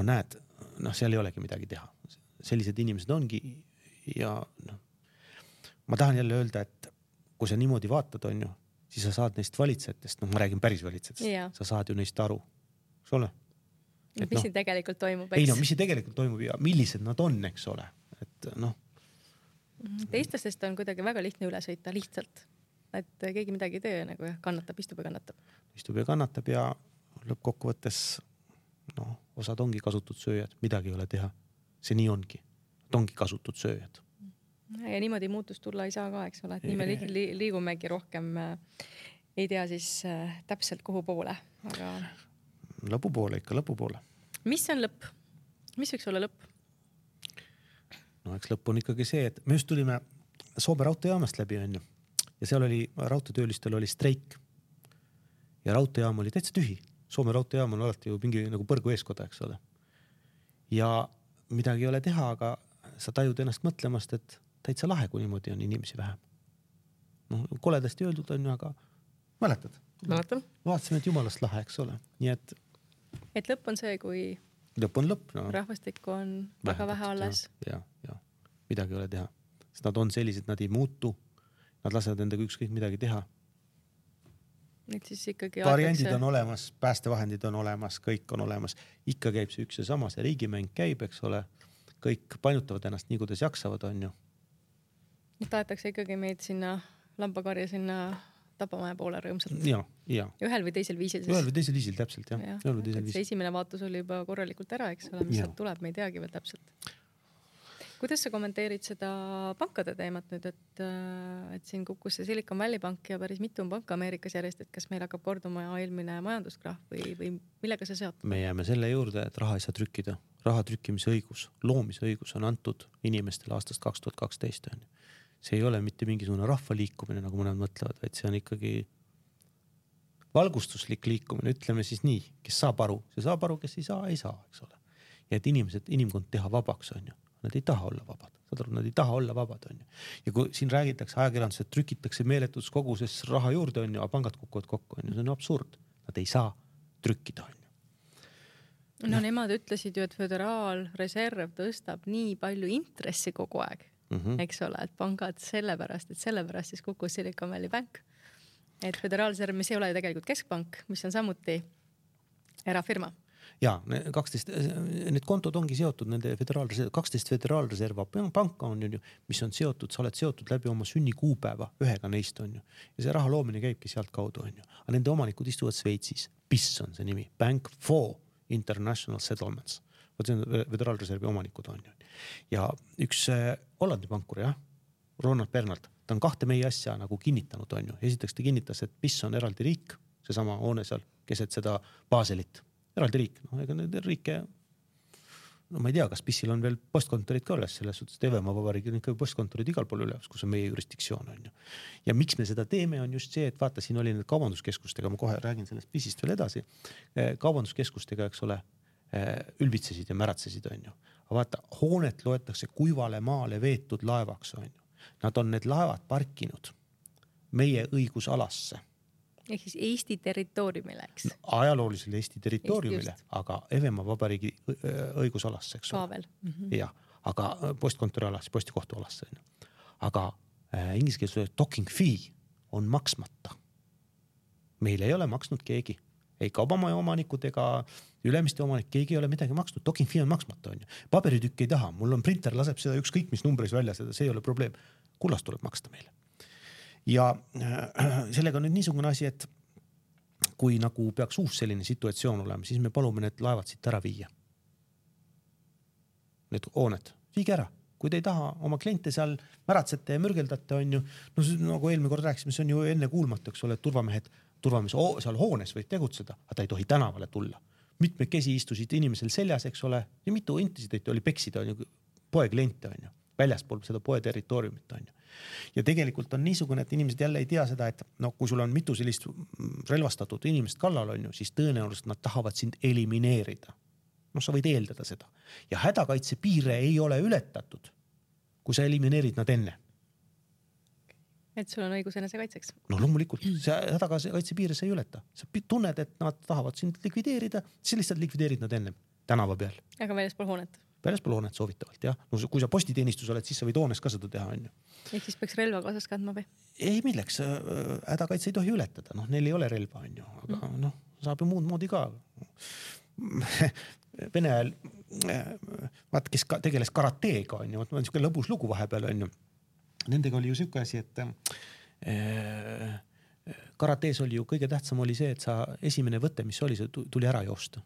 Näed, seal ei olegi midagi teha. Sellised inimesed ongi ja ma tahan jälle öelda, et kui sa niimoodi vaatad on ju, siis sa saad neist valitsejatest, ma räägin päris valitsejatest, sa saad ju neist aru. Mis siin tegelikult toimub, eks? Ei mis siin tegelikult toimub ja millised nad on, eks ole. Et et noh. Teistest on kuidagi väga lihtne üle sõita lihtsalt, et keegi midagi ei tee nagu ja kannatab, istub ja kannatab. Istub ja kannatab ja lõppkokkuvõttes osad ongi kasutud sööjad, midagi ei ole teha. See nii ongi. Ongi kasutud sööjad. Ja niimoodi muutust tulla ei saa ka, eks ole, et nii me liigumegi rohkem ei tea siis täpselt kuhu poole. Aga... Lõpupoole ikka, lõpupoole. Mis on lõpp? Mis võiks olla lõpp? No eks lõpp on ikkagi see, et me just tulime Soome raudteejaamast läbi on ju. Ja seal oli, raudteetöölistel oli streik. Ja raudteejaam oli täitsa tühi. Soome raudteejaam on alati ju mingi nagu põrgu eeskoda, eks ole. Ja midagi ei ole teha, aga sa tajud ennast mõtlemast, et täitsa lahe, kui niimoodi on inimesi vähem. No, koledasti öeldud on ju, aga mäletad? Mäletan. Vaatasime, et jumalast lahe, eks ole. Nii et lõpp on see, kui lõpp on lõpp, no. Rahvastikku on väga vähe alles. Ja. Midagi ei ole teha. Sest nad on sellised, nad ei muutu. Nad lasevad endaga ükskõik midagi teha. Nüüd siis ikkagi variandid on olemas, päästevahendid on olemas, kõik on olemas. Ikka käib see üks ja sama, see riigimäng käib, eks ole. Kõik painutavad ennast nii, kuidas jaksavad, on ju. Tahetakse ikkagi meid sinna lambakarja sinna Tapamaja poole rõõmsalt. Ja. Ühel või teisel viisil. Ühel või teisel viisil, täpselt, jah. See esimene vaatus oli juba korralikult ära, eks ole, mis sealt tuleb, me ei teagi veel täpselt. Kuidas sa kommenteerid seda pankade teemat nüüd, et siin kukkus see Silicon Valley Bank ja päris mitu on panka Ameerikas järjest, et kas meil hakkab korduma eelmine majanduskrahv või millega see seotud? Me jääme selle juurde, et raha ei saa trükkida. Raha trükkimise õigus, loomise õigus on antud inimestele aastast 2012. See ei ole mitte mingisugune rahva liikumine, nagu mõned mõtlevad, vaid see on ikkagi valgustuslik liikumine, ütleme siis nii, kes saab aru, see saab aru, kes ei saa, eks ole. Ja et inimkond teha vabaks on ju. Nad ei taha olla vabad. Nad ei taha olla vabad, on ju. Ja kui siin räägitakse ajakirjandus, et trükitakse meeletus koguses raha juurde, on ju, aga pangad kukuvad kokku, on ju. See on absurd. Nad ei saa trükkida, on ju. No nemad ütlesid ju, et Föderaalreserv tõstab nii palju intressi kogu aeg, eks ole, et pangad sellepärast siis kukkus Silicon Valley Bank. Et Föderaalreserv, mis ei ole ju tegelikult keskpank, mis on samuti erafirma. Ja, 12, need kontod ongi seotud, nende 12 Föderaalreserva panka on ju, mis on seotud, sa oled seotud läbi oma sünnikuupäeva, ühega neist on ju. Ja see raha loomine käibki sealt kaudu on ju. Aga nende omanikud istuvad Sveitsis. BIS on see nimi, Bank for International Settlements. See on Föderaalreservi omanikud on ju. Ja üks Hollandi pankur, jah, Ronald Bernard, ta on 2 meie asja nagu kinnitanud on ju. Esiteks ta kinnitas, et BIS on eraldi riik, seesama hoone seal, keset seda Baselit. Eraldi riik, ega need riike, ma ei tea, kas BIS-il on veel postkontorid ka üles, selles suhtes, et Evemaa Vabariigil on ikka postkontorid igal pool üles, kus on meie jurisdiktsioon on ju. Ja miks me seda teeme on just see, et vaata, siin oli need kaubanduskeskustega, ma kohe räägin sellest BIS-ist veel edasi, kaubanduskeskustega, eks ole, ülbitsesid ja märatsesid on ju. Aga vaata, hoonet loetakse kuivale maale veetud laevaks on ju. Nad on need laevad parkinud meie õigusalasse. Ehk siis Eesti territooriumile, eks? No, ajaloolisele Eesti territooriumile, aga Evemaa Vabariigi õigusalasse, eks ole. Ja, aga postkontori alasse, postikohtu alasse. Aga inglise keeles docking fee on maksmata. Meil ei ole maksnud keegi. Ei kaubamaja omanikud ega ülemiste omanik, keegi ei ole midagi maksnud. Docking fee on maksmata. On ju. Paberitükk ei taha. Mul on printer, laseb seda ükskõik mis numbris välja, see ei ole probleem. Kullast tuleb maksta meile. Ja sellega on nüüd niisugune asi, et kui nagu peaks uus selline situatsioon olema, siis me palume need laevad siit ära viia. Need hooned, viige ära. Kui te ei taha oma kliente seal märatsete ja mürgeldate on ju, no nagu eelmine kord rääkisime, see on ju enne kuulmatu, eks ole, et turvamees seal hoones võib tegutseda, aga ta ei tohi tänavale tulla. Mitmekesi istusid inimesel seljas, eks ole, ja mitu intisideid oli peksida on ju, poe kliente on ju, väljaspool seda poe territooriumit on ju. Ja tegelikult on niisugune, et inimesed jälle ei tea seda, et no, kui sul on mitu sellist relvastatud inimest kallal on ju, siis tõenäoliselt nad tahavad sind elimineerida. No sa võid eeldada seda. Ja hädakaitse piire ei ole ületatud, kui sa elimineerid nad enne. Et sul on õigus enese kaitseks? No loomulikult, see hädakaitse piire sa ei ületa. Sa tunned, et nad tahavad sind likvideerida, siis lihtsalt likvideerid nad enne tänava peal. Aga väljaspool hoonet? Väljaspool hoonet soovitavalt, jah. No, kui sa postiteenistus oled, siis sa võid hoones ka seda teha, on ju. Ehk siis peaks relva kaasas kandma või? Ei, milleks. Hädakaitse ei tohi ületada. No, neil ei ole relva, on ju. Aga saab ju muud moodi ka. Vene ajal vaat, kes tegeles karateega, on ju, on niisugune lõbus lugu vahepeal, on ju. Nendega oli ju niisugune asi, et karatees oli ju kõige tähtsam oli see, et sa esimene võte, mis oli, see tuli ära joosta.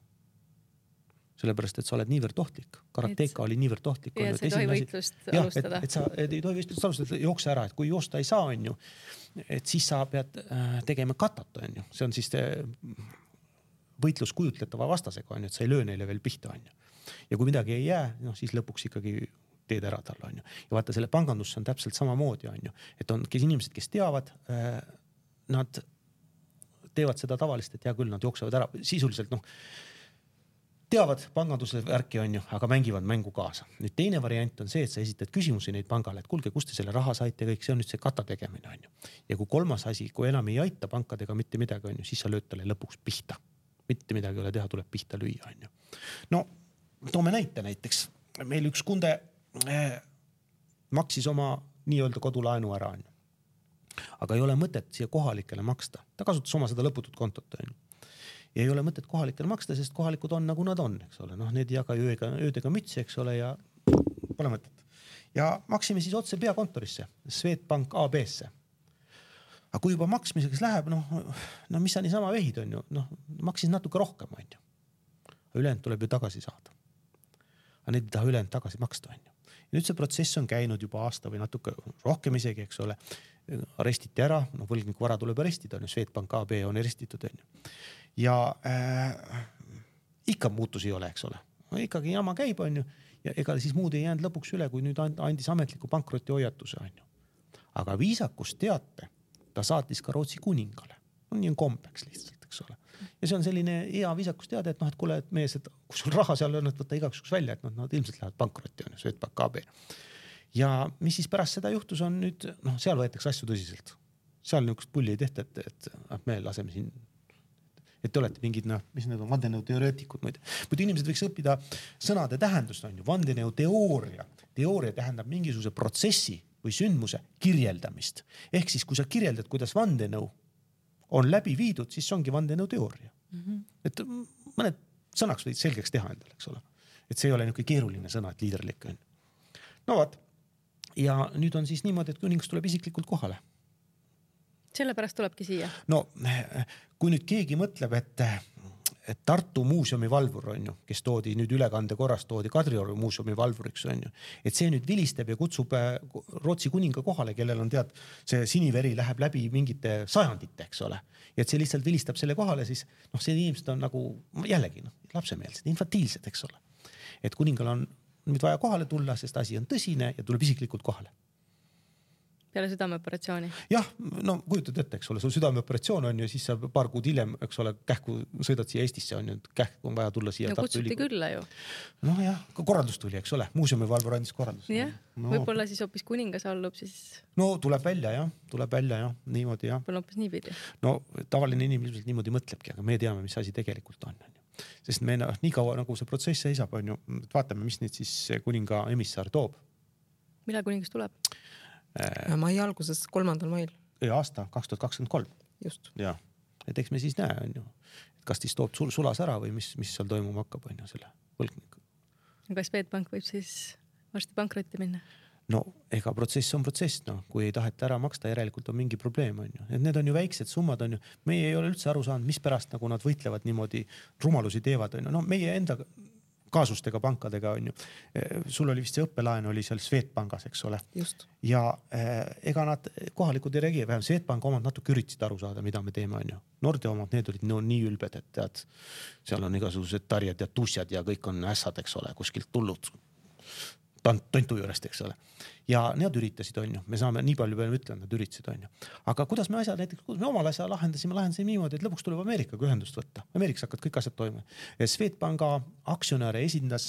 Sellepärast, et sa oled niivõrd ohtlik. Karateeka oli niivõrd ohtlik. Ja sa ei tohi võitlust alustada. Et sa ei tohi võitlust alustada, jookse ära, et kui joosta ei saa, on ju, et siis sa pead tegema katat, on ju. See on siis võitlus kujutletava vastasega, on ju, et sa ei löö neile veel pihta, on ju. Ja kui midagi ei jää, no siis lõpuks ikkagi teed ära talle, on ju. Ja vaata, selle pangandusse on täpselt samamoodi, on ju. Et on inimesed, kes teavad, nad teevad seda tavalist, et hea küll, nad jooksevad ära. Sisuliselt, teavad panganduse värki, on ju, aga mängivad mängu kaasa. Nüüd teine variant on see, et sa esitad küsimusi neid pangale, et kuulge, kust te selle raha saite, kõik see on nüüd see kata tegemine, on ju. Ja kui kolmas asi, kui enam ei aita pankadega mitte midagi, on ju, siis sa lööd talle lõpuks pihta. Mitte midagi ei ole teha, tuleb pihta lüüa, on ju. No, toome näite näiteks. Meil üks kunde maksis oma nii-öelda kodulaenu ära, on ju. Aga ei ole mõtet siia kohalikele maksta. Ta kasutas oma seda lõputut kontot, on ju. Ja ei ole mõtet kohalikele maksta, sest kohalikud on nagu nad on, eks ole. Need ei jaga öödega mütsi, eks ole, ja pole mõtet. Ja maksime siis otse peakontorisse, Swedbank AB-sse. Aga kui juba maksmiseks läheb, mis sa niisama vehid, on ju, maksis natuke rohkem, on ju. Ülejäänud tuleb ju tagasi saada. Aga need ei taha ülejäänud tagasi maksta, on ju. Ja nüüd see protsess on käinud juba aasta või natuke rohkem isegi, eks ole. Arestiti ära, võlgniku vara tuleb arestida, on ju, Swedbank AB on arestitud, on ju. Ja ikka muutus ei ole, eks ole. Ikkagi jama käib, on ju. Ja ega siis muud ei jäänud lõpuks üle, kui nüüd andis ametliku pankroti hoiatuse, on ju. Aga viisakus teate, ta saatis ka Rootsi kuningale. Nii on kombeks lihtsalt, eks ole. Ja see on selline hea viisakus teada, et et kuule, et mees, et kui sul raha seal on, et võtta igaks välja, et nad ilmselt lähevad pankrotti, on ju, Swedbank AB. Ja mis siis pärast seda juhtus on nüüd, seal võetakse asju tõsiselt. Seal niisugust pulli ei tehta, et me laseme siin, et te olete mingid, mis need on, vandenõuteoreetikud. Muidu inimesed võiks õppida sõnade tähendust, on ju, vandenõuteooria. Teooria tähendab mingisuguse protsessi või sündmuse kirjeldamist. Ehk siis, kui sa kirjeldad, kuidas vandenõu on läbi viidud, siis ongi vandenõuteooria. Et mõned sõnaks võid selgeks teha endale, eks ole. Et see ei ole niisugune keeruline sõna, et liiderlik on. No vaat. Ja nüüd on siis niimoodi, et kuningas tuleb isiklikult kohale. Sellepärast tulebki siia. No, kui nüüd keegi mõtleb, et Tartu muuseumi valvur on ju, kes toodi nüüd ülekande korras, toodi Kadrioru muuseumi valvuriks on ju, et see nüüd vilistab ja kutsub Rootsi kuninga kohale, kellel on see siniveri läheb läbi mingite sajandite, eks ole. Ja et see lihtsalt vilistab selle kohale, siis see inimesed on nagu jällegi lapsemeelsed, infantiilsed, eks ole. Et kuningal on nüüd vaja kohale tulla, sest asi on tõsine ja tuleb isiklikult kohale. Peale südameoperatsiooni. Jah, kujutad ette, eks ole, sul südameoperatsioon on ju, siis sa paar kuud hiljem, eks ole, kähku sõidad siia Eestisse, on ju, kähku on vaja tulla siia. No kutsuti külla ju. Jah, korraldus tuli, eks ole, muuseumi valvur andis korraldus. Jah, võib-olla siis hoopis kuningas allub siis. No tuleb välja, niimoodi, jah. Võib-olla hoopis niipidi. No tavaline inimene ilmselt niimoodi mõtlebki, aga me teame, mis asi tegelikult on. Sest me nii kaua nagu see protsess seisab, on ju, vaatame, mis nüüd siis kuninga emissar toob. Millal kuningas tuleb? Mai alguses 3. mail. Aasta 2023. Just. Ja, et eks me siis näe, on ju, et kas siis toob sulas ära või mis seal toimuma hakkab, on ju, selle võlgniku. Kas Swedbank võib siis varsti pankrotti minna? No, ega protsess on protsess, kui ei taheta ära maksta, järelikult on mingi probleem, on ju. Et need on ju väiksed summad, on ju. Meie ei ole üldse aru saanud, mis pärast nagu nad võitlevad niimoodi, rumalusi teevad, on ju. Meie enda kaasustega pankadega on ju. Sul oli vist see õppelaen oli seal Swedbankas, eks ole. Just. Ja ega nad kohalikud ei reageeri, vähem Swedbank omad natuke üritasid aru saada, mida me teeme, on ju. Nordea omad, need olid nii ülbed, et tead, seal on igasugused tarjad ja tussjad ja kõik on ässad, eks ole, kuskilt tullud tontu juurest, eks ole. Ja need üritasid, on ju. Me saame nii palju peale ütelda, nad üritasid, on ju. Aga kuidas me asjad, näiteks, kuidas me omal asja lahendasime niimoodi, et lõpuks tuleb Ameerikaga ühendust võtta. Ameerikas hakkad kõik asjad toimuma. Swedbanka aktsionäre esindas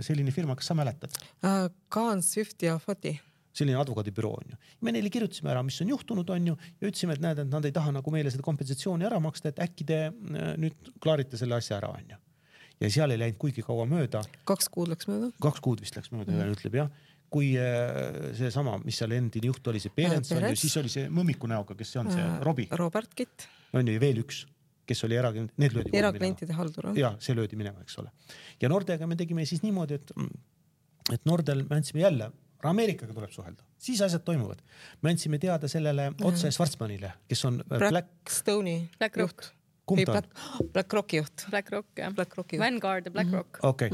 selline firma, kas sa mäletad? Kaan, Swift ja Foti. Selline advokaadibüroo, on ju. Me neile kirjutasime ära, mis on juhtunud, on ju. Ja ütlesime, et näed, et nad ei taha nagu meile seda kompensatsiooni ära maksta, et äkki te nüüd klaarite selle asja ära, on ju. Ja seal ei läinud kuigi kaua mööda. 2 kuud läks mööda. 2 kuud vist läks mööda, ütleb jah. Kui see sama, mis seal endine juht oli, see Perens, on ju, siis oli see mõmmiku näoga, kes see on, see Robi. Robert Kitt. On ju veel üks, kes oli need löödi eraklientide haldur. Ja see löödi minema, eks ole. Ja Nordega me tegime siis niimoodi, et Nordel me andsime jälle, Ameerikaga tuleb suhelda, siis asjad toimuvad. Me andsime teada sellele otse Schwarzmanile, kes on Blackstone'i juht. Kumb ta on? BlackRocki juht. BlackRock. Vanguard ja BlackRock. Okei.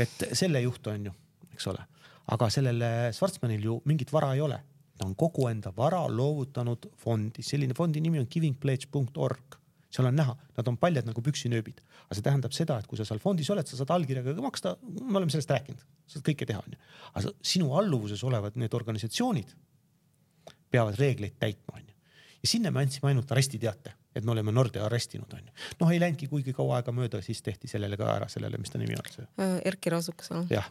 Et selle juht on ju, eks ole. Aga sellele Schwarzmanil ju mingit vara ei ole. Ta on kogu enda vara loovutanud fondi. Selline fondi nimi on givingpledge.org. Seal on näha, nad on paljad nagu püksinööbid. Aga see tähendab seda, et kui sa seal fondis oled, sa saad allkirjaga maksta, me oleme sellest rääkinud, sa saad kõike teha. Aga sinu alluvuses olevad need organisatsioonid peavad reegleid täitma. Ja sinna me andsime ainult arestiteate, et me oleme Norde arestinud. Noh, ei läinudki kuigi kaua aega mööda, siis tehti sellele ka ära, sellele, mis ta nimi on see. Erki Rasukas. Jah,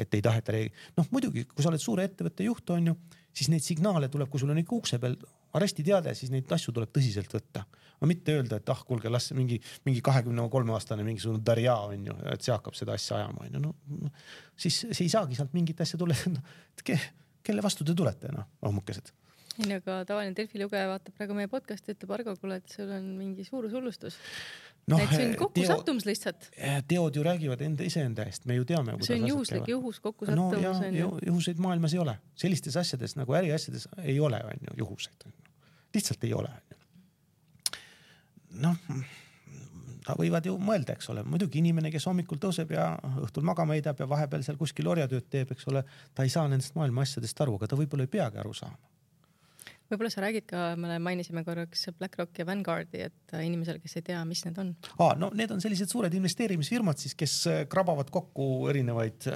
et ei taheta noh, muidugi, kui sa oled suure ettevõtte juht, on ju, siis neid signaale tuleb, kui sul on ikka ukse peal arestiteade, siis neid asju tuleb tõsiselt võtta. Ma mitte öelda, et kuulge, las mingi 23-aastane mingisugune Darja on ju, et see hakkab seda asja ajama. No, siis see ei saagi sealt mingit asja tule. Kelle vastu te tulete, ohmukesed? Aga tavaline Delfi lugeja vaatab praegu meie podcast ja ütleb Argo, kuule, et sul on mingi suur hullustus. Et see on kokku sattumus lihtsalt. Teod ju räägivad iseenda eest, me ju teame. See on juhus kokku sattumus. Juhuseid maailmas ei ole. Sellistes asjades nagu äriasjades ei ole juhuseid. Lihtsalt ei ole. Noh, ta võivad ju mõelda, eks ole. Muidugi inimene, kes hommikul tõuseb ja õhtul magama heidab ja vahepeal seal kuskil orjatööd teeb, eks ole, ta ei saa nendest maailma asjadest aru, aga ta võib-olla ei peagi aru saama. Võib-olla sa räägid ka, me mainisime korraks BlackRock ja Vanguardi, et inimesel, kes ei tea, mis need on. No need on sellised suured investeerimisfirmad siis, kes krabavad kokku erinevaid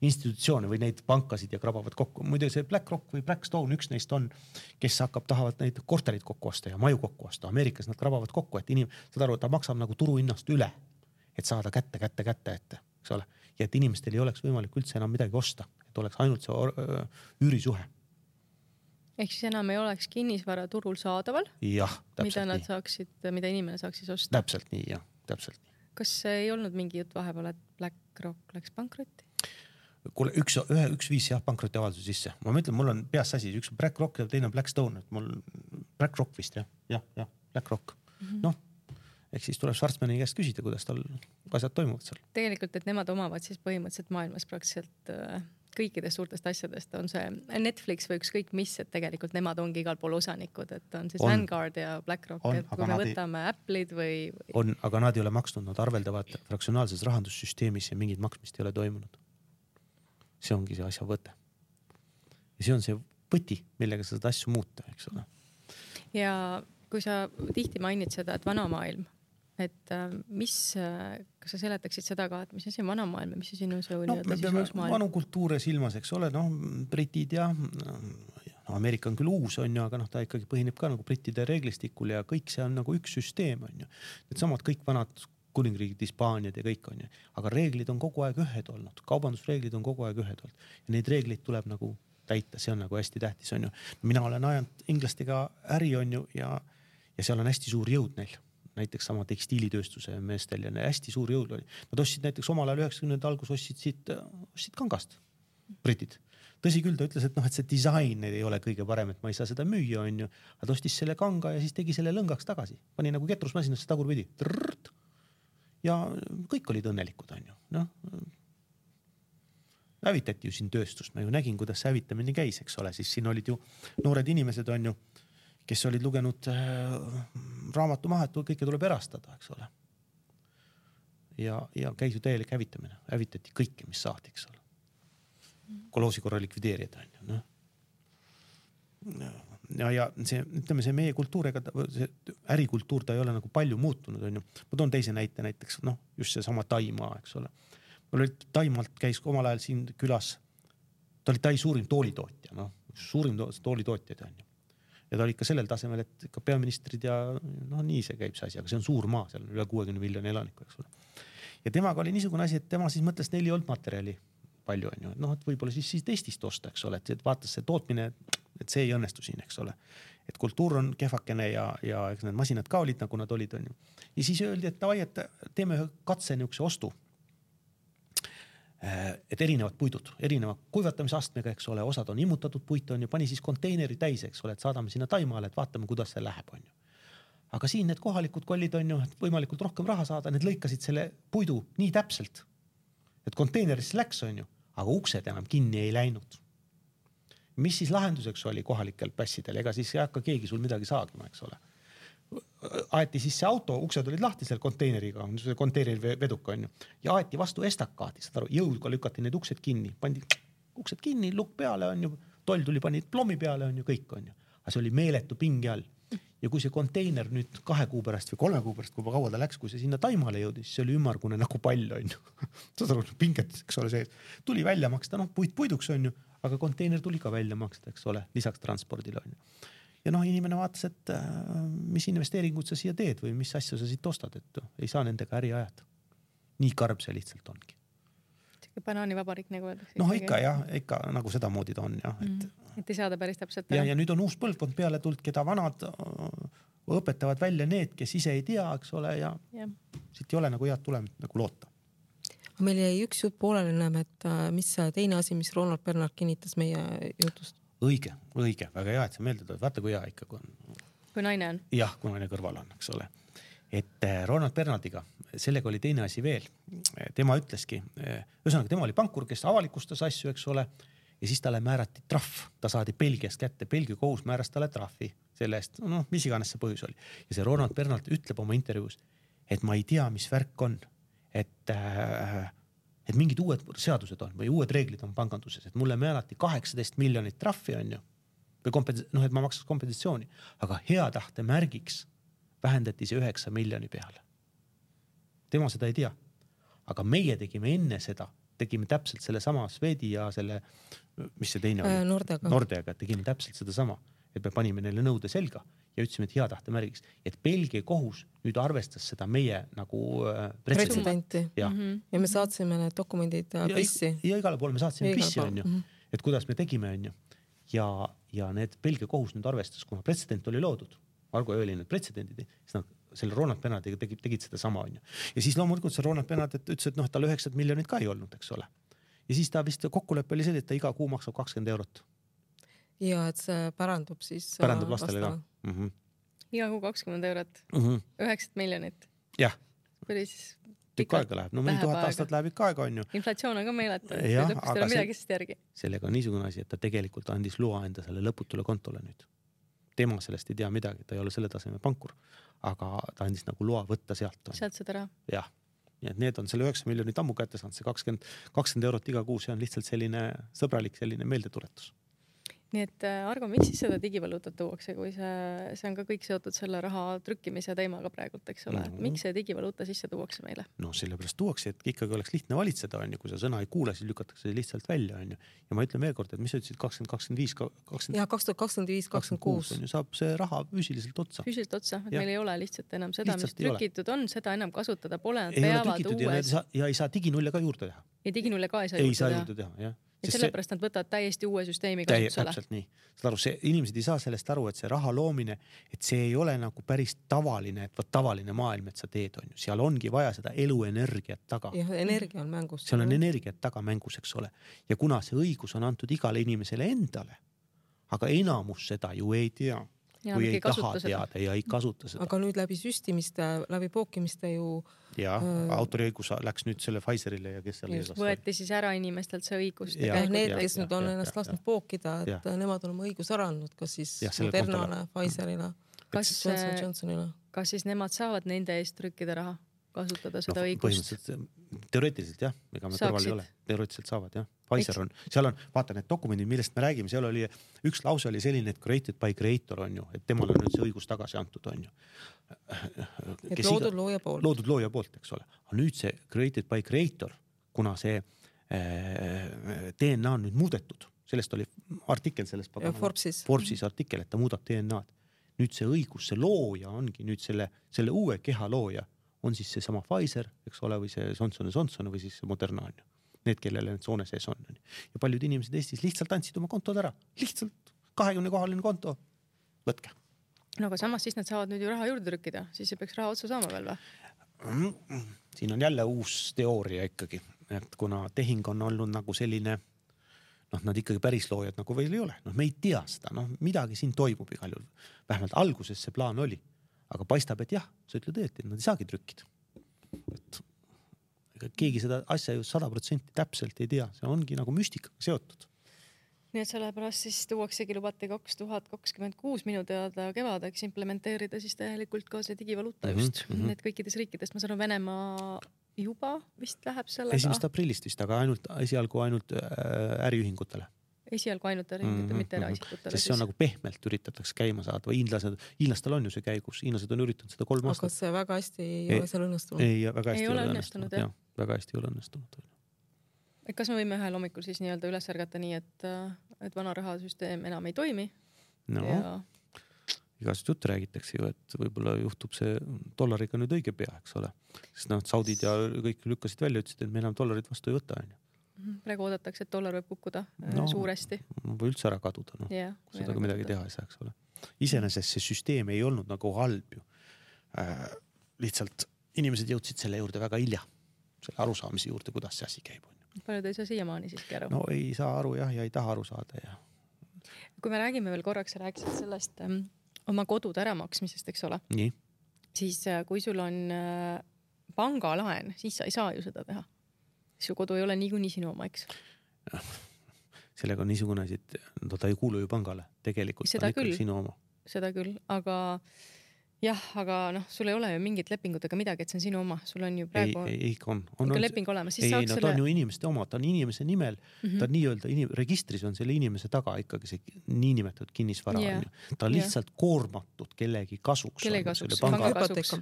institutsioone või neid pankasid ja krabavad kokku. Muide see BlackRock või Blackstone, üks neist on, kes tahavad neid korterid kokku osta ja maju kokku osta. Ameerikas nad krabavad kokku, et saad aru, ta maksab nagu turuhinnast üle, et saada kätte, eks ole. Ja et inimestel ei oleks võimalik üldse enam midagi osta, et oleks ainult see üürisuhe. Ehk siis enam ei oleks kinnisvara turul saadaval, jah, mida inimene saaks siis osta. Täpselt nii, jah, täpselt nii. Kas ei olnud mingi jutt vahepeal, et BlackRock läks pankrotti? Kuule, üks viis pankroti avalduse sisse. Ma mõtlen, mul on peas asi, üks BlackRock ja teine Blackstone. BlackRock vist, jah, BlackRock. Noh, ehk siis tuleb Schwarzmani käest küsida, kuidas tal asjad toimuvad seal. Tegelikult, et nemad omavad siis põhimõtteliselt maailmas praktiliselt kõikidest suurtest asjadest on see Netflix või ükskõik mis, et tegelikult nemad ongi igal pool osanikud, et on siis Vanguard ja BlackRock, et kui me võtame Apple'id või... Aga nad ei ole maksnud, nad arveldavad fraktsionaalses rahandussüsteemis ja mingid maksmist ei ole toimunud. See ongi see asja võte. Ja see on see võti, millega sa seda asju muuta, eks ole. Ja kui sa tihti mainid seda, et vana maailm, et kas sa seletaksid seda ka, et mis asi on vana maailm ja mis asi on see uus maailm? Vanu kultuure silmas, eks ole, britid ja Ameerika on küll uus, on ju, aga ta ikkagi põhineb ka nagu brittide reeglistikul ja kõik see on nagu üks süsteem, on ju. Need samad kõik vanad kuningriigid, Hispaaniad ja kõik on ju. Aga reeglid on kogu aeg ühed olnud, kaubandusreeglid on kogu aeg ühed olnud ja neid reegleid tuleb nagu täita, see on nagu hästi tähtis, on ju. Mina olen ajanud inglastega äri, on ju, ja seal on hästi suur jõud neil. Näiteks sama tekstiilitööstuse meestel ja hästi suur jõud oli. Nad ostsid näiteks omal ajal 90. algus ostsid kangast, britid. Tõsi küll, ta ütles, et see disain ei ole kõige parem, et ma ei saa seda müüa, on ju. Aga ta ostis selle kanga ja siis tegi selle lõngaks tagasi. Pani nagu ketrusmasinasse tagurpidi. Ja kõik olid õnnelikud, on ju. Hävitati ju siin tööstust. Ma ju nägin, kuidas see hävitamine käis, eks ole. Siis siin olid ju noored inimesed, on ju, kes olid lugenud raamatu maha, et kõike tuleb erastada, eks ole. Ja käis ju täielik hävitamine. Hävitati kõike, mis saati, eks ole. Koloosi korra likvideerida, on ju. Ja see, ütleme, see meie kultuuriga, see ärikultuur, ta ei ole nagu palju muutunud, on ju. Ma toon teise näite näiteks, just see sama Taimaa, eks ole. Mul oli Taimaalt käis omal ajal siin külas, ta oli Tai suurim toolitootja, suurim toolitootjad, on ju. Ja ta oli ikka sellel tasemel, et ikka peaministrid ja nii see käib see asi, aga see on suur maa, seal on üle 60 miljoni elaniku, eks ole. Ja temaga oli niisugune asi, et tema siis mõtles, neil ei olnud materjali palju, on ju. Et võib-olla siis Eestist osta, eks ole, et vaatas see tootmine, et see ei õnnestu siin, eks ole. Et kultuur on kehvakene ja eks need masinad ka olid, nagu nad olid, on ju. Ja siis öeldi, et davai, et teeme ühe katse niukse ostu. Et erinevad puidud, erineva kuivatamisastmega, eks ole, osad on immutatud puit, on ju, pani siis konteineri täis, eks ole, et saadame sinna Taimaale, et vaatame, kuidas see läheb, on ju. aga siin need kohalikud kollid on ju, et võimalikult rohkem raha saada, need lõikasid selle puidu nii täpselt, et konteinerisse läks on ju, aga uksed enam kinni ei läinud. Mis siis lahenduseks oli kohalikel pässidel? Ega siis ei hakka keegi sul midagi saagima, eks ole. Aeti siis see auto, uksed olid lahti selle konteineriga, see konteineri veduka on ju, ja aeti vastu estakaadi, saad aru, jõudga lükati need uksed kinni, pandi uksed kinni, lukk peale on ju, toll tuli, pani plommi peale on ju, kõik on ju. Aga see oli meeletu pingi all. Ja kui see konteiner nüüd 2 kuu pärast või 3 kuu pärast, kui kaua ta läks, kui see sinna Taimale jõudis, see oli ümmargune nagu pall on ju. Saad aru, pinget, eks ole, see tuli välja maksta, noh, puiduks on ju, aga konteiner tuli ka välja maksta, eks ole, lisaks transpordile on ju. Ja noh, inimene vaatas, et mis investeeringud sa siia teed või mis asju sa siit ostad, et ei saa nendega äri ajada. Nii karb see lihtsalt ongi. Banaanivabarik nagu öeldakse. Noh, ikka nagu seda moodi ta on jah. Et ei saada päris täpselt. Ja nüüd on uus põlvkond peale tuld, keda vanad õpetavad välja need, kes ise ei tea, eks ole, ja siit ei ole nagu head tulemit nagu loota. Meil jäi üks jutt poolele, näeme, et mis teine asi, mis Ronald Bernard kinnitas meie jutust. Õige, väga hea, et sa meelde tood. Vaata, kui hea ikka, kui naine on. Jah, kui naine kõrval on, eks ole. Et Ronald Bernardiga, sellega oli teine asi veel. Tema ütleski, ühesõnaga, tema oli pankur, kes avalikustas asju, eks ole, ja siis talle määrati trahv. Ta saadi Belgiast kätte, Belgia kohus määras talle trahvi selle eest, noh, mis iganes see põhjus oli. Ja see Ronald Bernard ütleb oma intervjuus, et ma ei tea, mis värk on, et mingid uued seadused on või uued reeglid on panganduses, et mulle määrati 18 miljonit trahvi on ju, või et ma maksaks kompensatsiooni, aga hea tahte märgiks vähendati see 9 miljoni peale. Tema seda ei tea. Aga meie tegime enne seda, tegime täpselt selle sama Swedi ja selle, mis see teine oli? Nordeaga, tegime täpselt seda sama, et me panime neile nõude selga ja ütlesime, et hea tahte märgiks, et Belgia kohus nüüd arvestas seda meie nagu pretsedenti. Ja me saatsime need dokumendid pissi. Ja igale poole me saatsime pissi on ju, et kuidas me tegime on ju. Ja need Belgia kohus nüüd arvestas, kuna pretsedent oli loodud, Argo oli need pretsedendid, siis nad selle Ronald Bernardiga tegid seda sama on ju. Ja siis loomulikult see Ronald Bernard ütles, et noh, et tal 9 miljonit ka ei olnud, eks ole. Ja siis ta vist kokkuleppe oli see, et ta iga kuu maksab 20 €. Ja et see pärandub siis lastele ka. Iga kuu 20 €. 9 miljonit. Jah. Päris tükk aega läheb. No mõni 1000 aastat läheb ikka aega on ju. Inflatsioon on ka meeletu. Aga midagi sest järgi. Sellega on niisugune asi, et ta tegelikult andis loa enda selle lõputule kontole nüüd. Tema sellest ei tea midagi, ta ei ole selle taseme pankur, aga ta andis nagu loa võtta sealt. Sealt seda raha. Jah. Ja need on selle 9 miljonit ammu kätte saanud, see 20 € iga kuu, see on lihtsalt selline sõbralik selline meeldetuletus. Nii et Argo, miks siis seda digivaluutat tuuakse, kui see on ka kõik seotud selle raha trükkimise teemaga praegult, eks ole? Miks see digivaluuta sisse tuuakse meile? No sellepärast tuuakse, et ikkagi oleks lihtne valitseda, on ju, kui sa sõna ei kuule, siis lükatakse see lihtsalt välja, on ju. Ja ma ütlen veel kord, et mis sa ütlesid 2025, Ja 2025-2026 on ju, saab see raha füüsiliselt otsa. Füüsiliselt otsa, et meil ei ole lihtsalt enam seda, mis trükitud on, seda enam kasutada pole, nad peavad uues. Ja ei saa diginulle ka juurde teha. Ja diginulle ka ei saa juurde teha, jah. Ja sellepärast nad võtavad täiesti uue süsteemi kasutusele. Täpselt nii. Saad aru, inimesed ei saa sellest aru, et see raha loomine, et see ei ole nagu päris tavaline, et tavaline maailm, et sa teed on ju. Seal ongi vaja seda eluenergiat taga. Ja energia on mängus. Seal on energiat taga mängus, eks ole. Ja kuna see õigus on antud igale inimesele endale, aga enamus seda ju ei tea. Ja kui ei taha teada ja ei kasuta seda. Aga nüüd läbi süstimiste, läbi pookimiste ju... Ja autoriõigus läks nüüd selle Pfizerile ja kes seal just võeti siis ära inimestelt see õigust. Need, kes nüüd on ennast lasknud pookida, et nemad on oma õigus ära andnud, kas siis Modernale, Pfizerile, Johnsonile. Kas siis nemad saavad nende eest trükkida raha, kasutada seda õigust? Teoreetiliselt jah, ega me kõrval ei ole. Teoreetiliselt saavad jah. Pfizer on, seal on, vaata need dokumendid, millest me räägime, seal oli üks lause oli selline, et created by creator on ju, et temal on nüüd see õigus tagasi antud on ju. Et loodud looja poolt. Loodud looja poolt, eks ole. Aga nüüd see created by creator, kuna see DNA on nüüd muudetud, sellest oli artikkel sellest Forbesis artikkel, et ta muudab DNA-d. Nüüd see õigus, see looja ongi nüüd selle uue keha looja on siis see sama Pfizer, eks ole, või see Johnson või siis Moderna on ju. Need, kellele need soone sees on. Ja paljud inimesed Eestis lihtsalt andsid oma kontod ära. Lihtsalt 20-kohaline konto. Võtke. No aga samas siis nad saavad nüüd ju raha juurde trükkida. Siis ei peaks raha otsa saama veel või? Siin on jälle uus teooria ikkagi. Et kuna tehing on olnud nagu selline, nad ikkagi päris loojad nagu veel ei ole. Me ei tea seda. Midagi siin toimub igal juhul. Vähemalt alguses see plaan oli. aga paistab, et jah, sa ütled õieti, nad ei saagi trükkida. Keegi seda asja ju 100% täpselt ei tea, see ongi nagu müstikaga seotud. Nii et sellepärast siis tuuaksegi lubati 2026 minu teada kevadeks implementeerida siis täielikult ka see digivaluuta just. Need kõikides riikides, ma saan Venemaa juba vist läheb sellega. 1. aprillist vist, aga esialgu ainult äriühingutele. Esialgu ainult äriühingutele, mitte eraisikutele. Sest see on nagu pehmelt üritatakse käima saada või hiinlastel on ju see käigus. Hiinlased on üritanud seda 3 aastat. Aga see väga hästi ei ole seal õnnestunud. Ei, väga hästi ei ole õnnestunud. Väga hästi ei ole õnnestunud. Kas me võime ühel hommikul siis nii-öelda üles ärgata nii, et vana rahasüsteem enam ei toimi? No, igast jutt räägitakse ju, et võib-olla juhtub see dollariga nüüd õige pea, eks ole. Sest saudid ja kõik lükkasid välja, ütlesid, et me enam dollarit vastu ei võta. Praegu oodatakse, et dollar võib kukkuda suuresti. Või üldse ära kaduda, kui seda ka midagi teha ei saa, eks ole. Iseenesest see süsteem ei olnud nagu halb ju. Lihtsalt inimesed jõudsid selle juurde väga hilja. Selle arusaamise juurde, kuidas see asi käib. Paljud ei saa siiamaani siiski aru. No ei saa aru jah, ja ei taha aru saada. Ja. Kui me räägime veel korraks, rääkisid sellest oma kodude äramaksmisest, eks ole. Nii. Siis kui sul on pangalaen, siis sa ei saa ju seda teha. Su kodu ei ole niikuinii sinu oma, eks? Sellega on niisugune asi, et ta ei kuulu ju pangale. Tegelikult seda on ikkagi sinu oma. Seda küll, aga sul ei ole ju mingit lepingutega midagi, et see on sinu oma. Sul on ju praegu on leping olemas. Ei, ta on ju inimeste oma, ta on inimese nimel. Ta on nii-öelda, registris on selle inimese taga ikkagi see niinimetatud kinnisvara. Ta on lihtsalt koormatud kellegi kasuks. Kellegi kasuks, panga kasuks.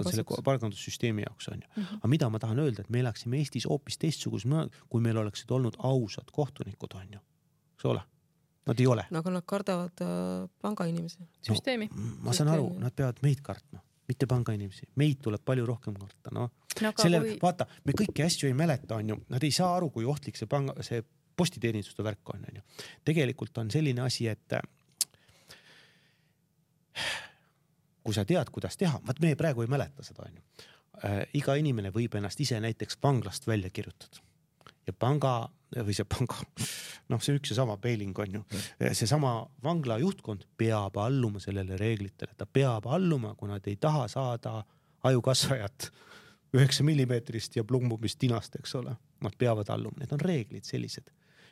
Selle pangandussüsteemi jaoks on ju. Aga mida ma tahan öelda, et me elaksime Eestis hoopis teistsugus, kui meil oleksid olnud ausad kohtunikud on ju. Eks ole? Nad ei ole. Aga nad kardavad pangainimesi. Süsteemi. Ma saan aru, nad peavad meid kartma, mitte pangainimesi. Meid tuleb palju rohkem karta. Vaata, me kõiki asju ei mäleta, on ju. Nad ei saa aru, kui ohtlik see postiteeninduste värk on ju. Tegelikult on selline asi, et kui sa tead, kuidas teha, me praegu ei mäleta seda, on ju. Iga inimene võib ennast ise näiteks vanglast välja kirjutada. Ja see on üks ja sama peiling on ju. See sama vangla juhtkond peab alluma sellele reeglitele. Ta peab alluma, kui nad ei taha saada ajukasvajat 9 millimeetrist ja plumbumist tinast, eks ole. Nad peavad alluma. Need on reeglid sellised.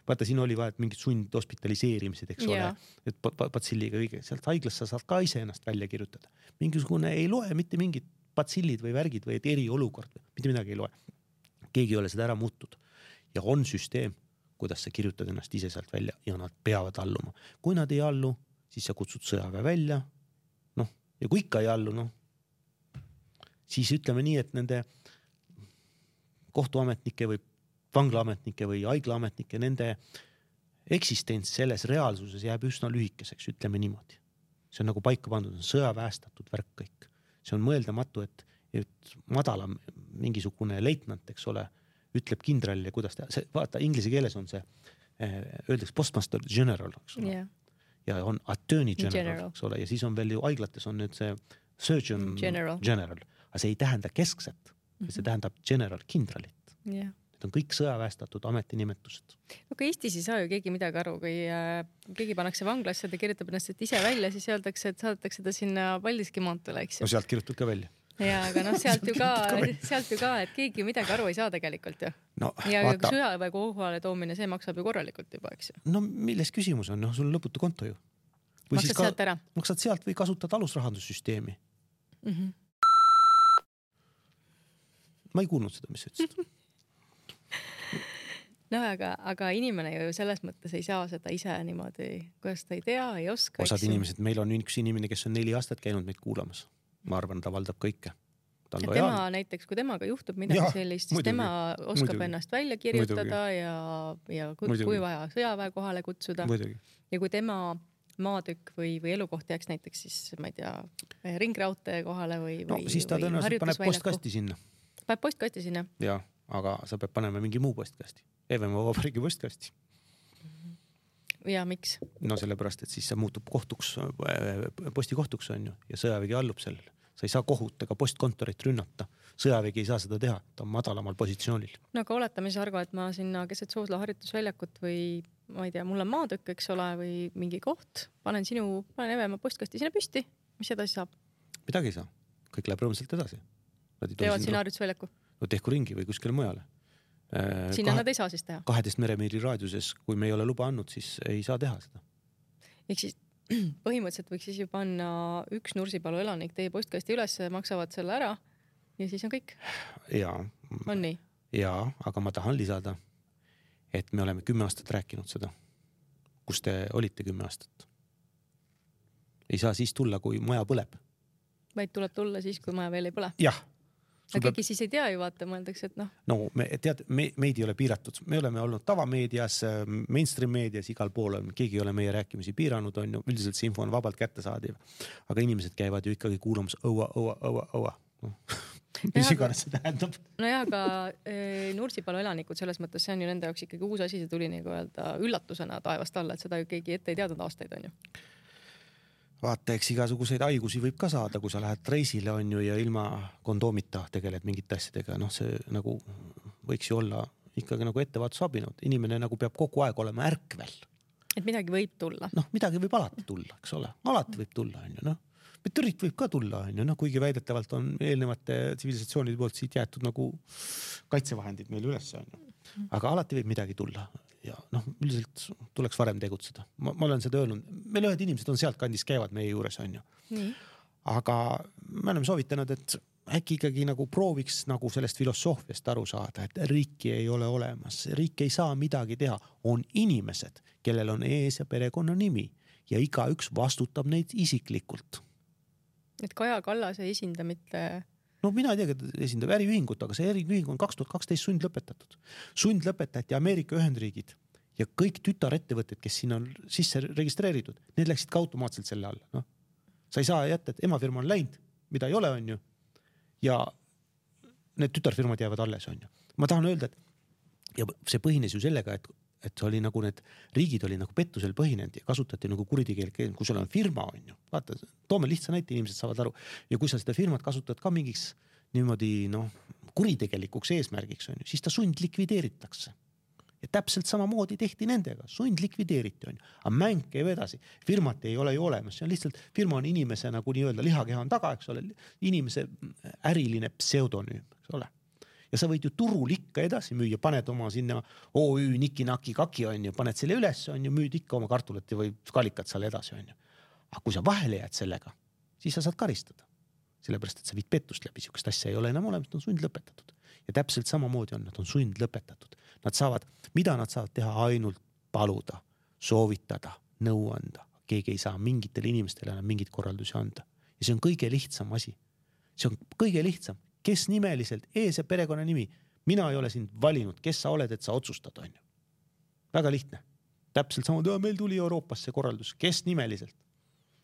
Vaata, siin oli vaja mingid sund hospitaliseerimised, eks ole. Et patsilliga kõige. Sealt haiglast sa saad ka ise ennast välja kirjutada. Mingisugune ei loe mitte mingid patsillid või värgid või eriolukord. Mitte midagi ei loe. Keegi ei ole seda ära muutnud. Ja on süsteem, kuidas sa kirjutad ennast ise sealt välja ja nad peavad alluma. Kui nad ei allu, siis sa kutsud sõjaväe välja. Ja kui ikka ei allu, siis ütleme nii, et nende kohtuametnike või vanglaametnike või haiglaametnike, nende eksistents selles reaalsuses jääb üsna lühikeseks, ütleme niimoodi. See on nagu paika pandud, on sõjaväestatud värk kõik. See on mõeldamatu, et madalam mingisugune leitnant, eks ole, ütleb kindralile, kuidas teha. Vaata, inglise keeles on see, öeldaks postmaster general, eks ole. Ja on attorney general, eks ole. Ja siis on veel ju haiglates on nüüd see surgeon general. Aga see ei tähenda keskset, see tähendab general kindralit. Need on kõik sõjaväestatud ametinimetused. Aga Eestis ei saa ju keegi midagi aru, kui keegi pannakse vanglasse, ta kirjutab ennast ise välja, siis öeldakse, et saadetakse ta sinna Paldiski maantule, eks ju. No sealt kirjutad ka välja. Ja, aga sealt ju ka, et keegi midagi aru ei saa tegelikult ju. Ja sõjaväe kohale toomine, see maksab ju korralikult juba, eks ju. No milles küsimus on? Sul on lõputu konto ju. Maksad sealt ära? Maksad sealt või kasutad alusrahandussüsteemi. Ma ei kuulnud seda, mis sa ütlesid. Aga inimene ju selles mõttes ei saa seda ise niimoodi, kuidas ta ei tea, ei oska. Osad inimesed, meil on üks inimene, kes on 4 aastat käinud meid kuulamas. Ma arvan, ta valdab kõike. Tema näiteks, kui temaga juhtub midagi sellist, siis tema oskab ennast välja kirjutada ja kui vaja sõjaväe kohale kutsuda. Ja kui tema maatükk või elukoht jääks näiteks siis, ma ei tea, ringraudtee kohale või siis ta tõenäoliselt paneb postkasti sinna. Paneb postkasti sinna? Jaa, aga sa peab panema mingi muu postkasti. Evemaa Vabariigi postkasti. Ja miks? No sellepärast, et siis see muutub postikohtuks on ju ja sõjavägi allub sellele. Sa ei saa kohut ega postkontorit rünnata. Sõjavägi ei saa seda teha, ta on madalamal positsioonil. No aga oletame siis argo, et ma sinna keset Soosla harjutusväljakut või ma ei tea, mul on maatükk, eks ole, või mingi koht, panen Evemaa postkasti sinna püsti, mis edasi saab? midagi ei saa, kõik läheb rõõmsalt edasi. Teevad sina harjutusväljaku? No tehku ringi või kuskile mujale. Sinna nad ei saa siis teha? 12 meremiili raadiuses, kui me ei ole luba andnud, siis ei saa teha seda. Ehk siis põhimõtteliselt võiks siis ju panna üks Nursipalu elanik teie postkasti üles, maksavad selle ära ja siis on kõik? Jaa. On nii? Jaa, aga ma tahan lisada, et me oleme 10 aastat rääkinud seda. Kus te olite 10 aastat? Ei saa siis tulla, kui maja põleb. Vaid tuleb tulla siis, kui maja veel ei põle? Jah. Aga keegi siis ei tea ju, vaata, mõeldakse, et noh. No, meid ei ole piiratud. Me oleme olnud tavameedias, mainstream meedias, igal pool on. Keegi ei ole meie rääkimisi piiranud, on ju. Üldiselt see info on vabalt kättesaadiv. Aga inimesed käivad ju ikkagi kuulamas õua. Mis iganes see tähendab. No jah, aga Nursipalu elanikud selles mõttes, see on ju nende jaoks ikkagi uus asi, see tuli nagu öelda üllatusena taevast alla, et seda ju keegi ette ei teadnud aastaid, on ju. Vaata, eks igasuguseid haigusi võib ka saada, kui sa lähed reisile on ju ja ilma kondoomita tegeled mingite asjadega. Noh, see nagu võiks ju olla ikkagi nagu ettevaatusabinud. Inimene nagu peab kogu aeg olema ärkvel. Et midagi võib tulla. Noh, midagi võib alati tulla, eks ole. Alati võib tulla, on ju, noh. Meteoriit võib ka tulla, on ju, noh, kuigi väidetavalt on eelnevate tsivilisatsioonide poolt siit jäetud nagu kaitsevahendid meil üles, on ju. Aga alati võib midagi tulla. Ja noh, üldiselt tuleks varem tegutseda. Ma olen seda öelnud. Meil ühed inimesed on sealt kandis käivad meie juures, on ju. Nii. Aga me oleme soovitanud, et äkki ikkagi nagu prooviks nagu sellest filosoofiast aru saada, et riiki ei ole olemas. Riik ei saa midagi teha. On inimesed, kellel on ees ja perekonna nimi ja igaüks vastutab neid isiklikult. Et Kaja Kallas ei esinda mitte... No mina ei tea, et esindab äriühingut, aga see äriühing on 2012 sundlõpetatud. Sundlõpetati Ameerika Ühendriigid ja kõik tütarettevõtted, kes siin on sisse registreeritud, need läksid ka automaatselt selle alla. No. Sa ei saa jätta, et emafirma on läinud, mida ei ole, on ju. Ja need tütarfirmad jäävad alles, on ju. Ma tahan öelda, et ja see põhines ju sellega, et oli nagu need riigid oli nagu pettusel põhinenud ja kasutati nagu kuritegeel, kui sul on firma, on ju. Vaata, toome lihtsa näite, inimesed saavad aru. Ja kui sa seda firmat kasutad ka mingiks niimoodi, noh, kuritegelikuks eesmärgiks, on ju, siis ta sundlikvideeritakse. Ja täpselt samamoodi tehti nendega, sundlikvideeriti, on ju. Aga mäng käib edasi. Firmat ei ole ju olemas, see on lihtsalt, firma on inimese nagu nii-öelda lihakeha on taga, eks ole, inimese äriline pseudonüüm, eks ole. Ja sa võid ju turul ikka edasi müüa, paned oma sinna OÜ, niki-naki, kaki, on ju, paned selle üles, on ju, müüd ikka oma kartulet või skalikat seal edasi, on ju. Aga kui sa vahele jääd sellega, siis sa saad karistada. Sellepärast, et sa viid pettust läbi, sihukest asja ei ole enam olemas, nad on sundlõpetatud. Ja täpselt samamoodi on, nad on sundlõpetatud. Mida nad saavad teha? Ainult paluda, soovitada, nõu anda. Keegi ei saa mingitele inimestele enam mingit korraldusi anda. Ja see on kõige lihtsam asi. See on kõige lihtsam. Kes nimeliselt, ees ja perekonna nimi. Mina ei ole sind valinud, kes sa oled, et sa otsustad, on ju. Väga lihtne. Täpselt sama, meil tuli Euroopasse korraldus, kes nimeliselt.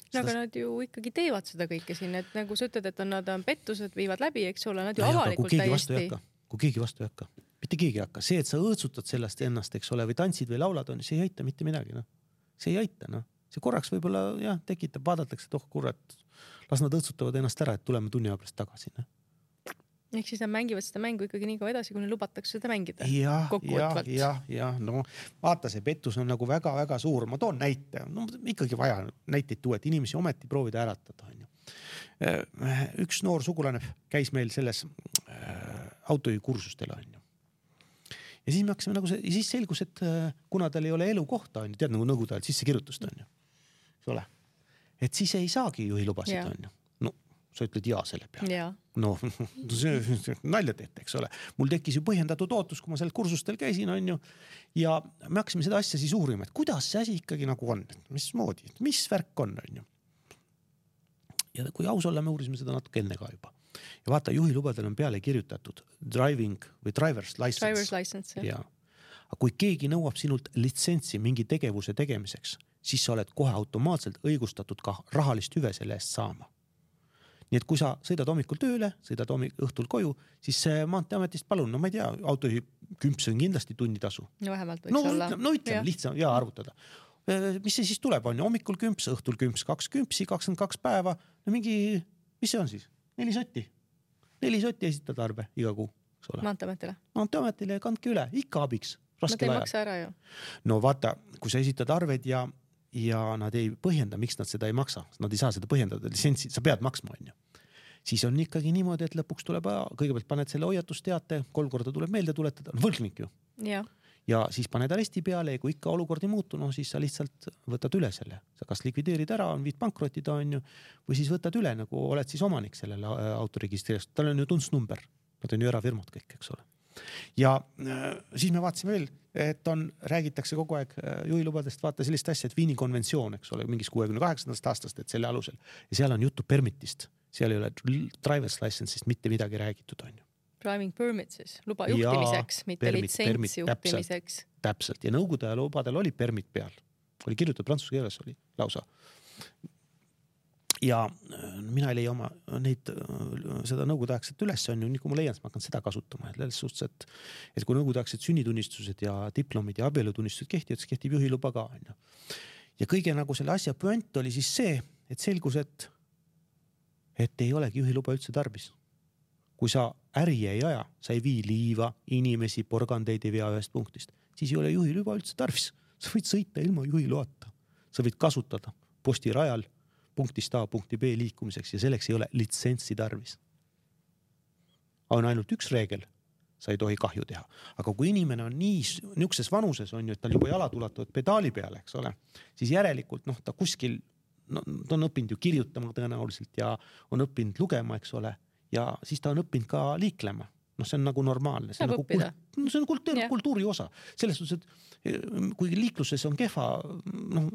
No, aga nad ju ikkagi teevad seda kõike siin, et nagu sa ütled, et nad on pettused, viivad läbi, eks ole, nad ju avalikult täiesti. Kui keegi vastu ei hakka, mitte keegi ei hakka. See, et sa õõtsutad sellest ennast, eks ole, või tantsid või laulad, on, see ei aita mitte midagi. No. See ei aita, no. See korraks võib-olla jah, tekitab, vaadatakse, et kurat, las nad õõtsutavad ennast ära, et tuleme tunni aja pärast tagasi. No. Ehk siis nad mängivad seda mängu ikkagi nii kaua edasi, kui neil lubatakse seda mängida. Ja, no vaata, see pettus on nagu väga-väga suur. Ma toon näite, no ikkagi vaja näiteid tuua, et inimesi ometi proovida äratada. On ju. Üks noor sugulane käis meil selles autojuhikursustel, on ju. Ja siis me hakkasime nagu see, ja siis selgus, et kuna tal ei ole elukohta, on ju, tead nagu nõukogude ajal sissekirjutust, on ju. Eks ole. Et siis ei saagi juhilubasid, on ju. No, sa ütled jaa selle peale. Ja. No, see nalja tehti, eks ole. Mul tekkis ju põhjendatud ootus, kui ma seal kursustel käisin, on ju. Ja me hakkasime seda asja siis uurima, et kuidas see asi ikkagi nagu on, mismoodi, mis värk on ju. Ja kui aus olla, me uurisime seda natuke enne ka juba. Ja vaata, juhilubadel on peale kirjutatud driving või driver's license. Driver's license, jah. Aga kui keegi nõuab sinult litsentsi mingi tegevuse tegemiseks, siis sa oled kohe automaatselt õigustatud ka rahalist hüve selle eest saama. Nii et kui sa sõidad hommikul tööle, sõidad õhtul koju, siis Maanteeametist palun, no ma ei tea, autojuhi kümps on kindlasti tunnitasu. No vähemalt võiks olla. No ütleme, lihtsam ja arvutada. Mis see siis tuleb, on ju, hommikul kümps, õhtul kümps, 2 kümpsi, 22 päeva, no mingi, mis see on siis? 4 sotti. 4 sotti esitad arve iga kuu. Maanteeametile? Maanteeametile kandke üle, ikka abiks. Nad ei maksa ära ju. No vaata, kui sa esitad arved ja nad ei põhjenda, miks nad seda ei maksa. Nad ei saa seda põhjendada, litsentsi, sa pead maksma, on ju. siis on ikkagi niimoodi, et lõpuks tuleb, kõigepealt paned selle hoiatusteate, 3 korda tuleb meelde tuletada, võlgnik ju. Ja siis paned aresti peale ja kui ikka olukord ei muutu, no siis sa lihtsalt võtad üle selle. Sa kas likvideerid ära, on viid pankrotida, on ju, või siis võtad üle, nagu oled siis omanik sellele autoregistreerist. Tal on ju tundsnumber, nad on ju erafirmad kõik, eks ole. Ja siis me vaatasime veel, et räägitakse kogu aeg juhilubadest, vaata sellist asja, et Viini konventsioon, eks ole, mingis 68. aastast, et selle alusel. Ja seal on juttu permitist, seal ei ole driver's license'ist mitte midagi räägitud, on ju. Driving permit siis, luba juhtimiseks, mitte litsents juhtimiseks. Täpselt, ja nõukogude ja lubadel oli permit peal. Oli kirjutatud prantsuse keeles, oli lausa. Ja mina ei leia oma seda nõukogudeaegset üles, on ju, nii kui ma leian, siis ma hakkan seda kasutama. Selles suhtes, et kui nõukogudeaegsed sünnitunnistused ja diplomid ja abielutunnistused kehtivad, siis kehtib juhiluba ka, on ju. Ja kõige nagu selle asja püant oli siis see, et selgus, et ei olegi juhiluba üldse tarbis. Kui sa äri ei aja, sa ei vii liiva, inimesi, porgandeid ei vea ühest punktist, siis ei ole juhiluba üldse tarvis. Sa võid sõita ilma juhiloata. Sa võid kasutada postirajal punktist A punkti B liikumiseks ja selleks ei ole litsentsi tarvis. On ainult üks reegel, sa ei tohi kahju teha. Aga kui inimene on niisuguses vanuses, on ju, et tal juba jalad ulatuvad pedaali peale, eks ole, siis järelikult ta kuskil, ta on õppinud ju kirjutama tõenäoliselt ja on õppinud lugema, eks ole, ja siis ta on õppinud ka liiklema. See on nagu normaalne. See on kultuuri osa. Selles suhtes, et kui liikluses on kehva,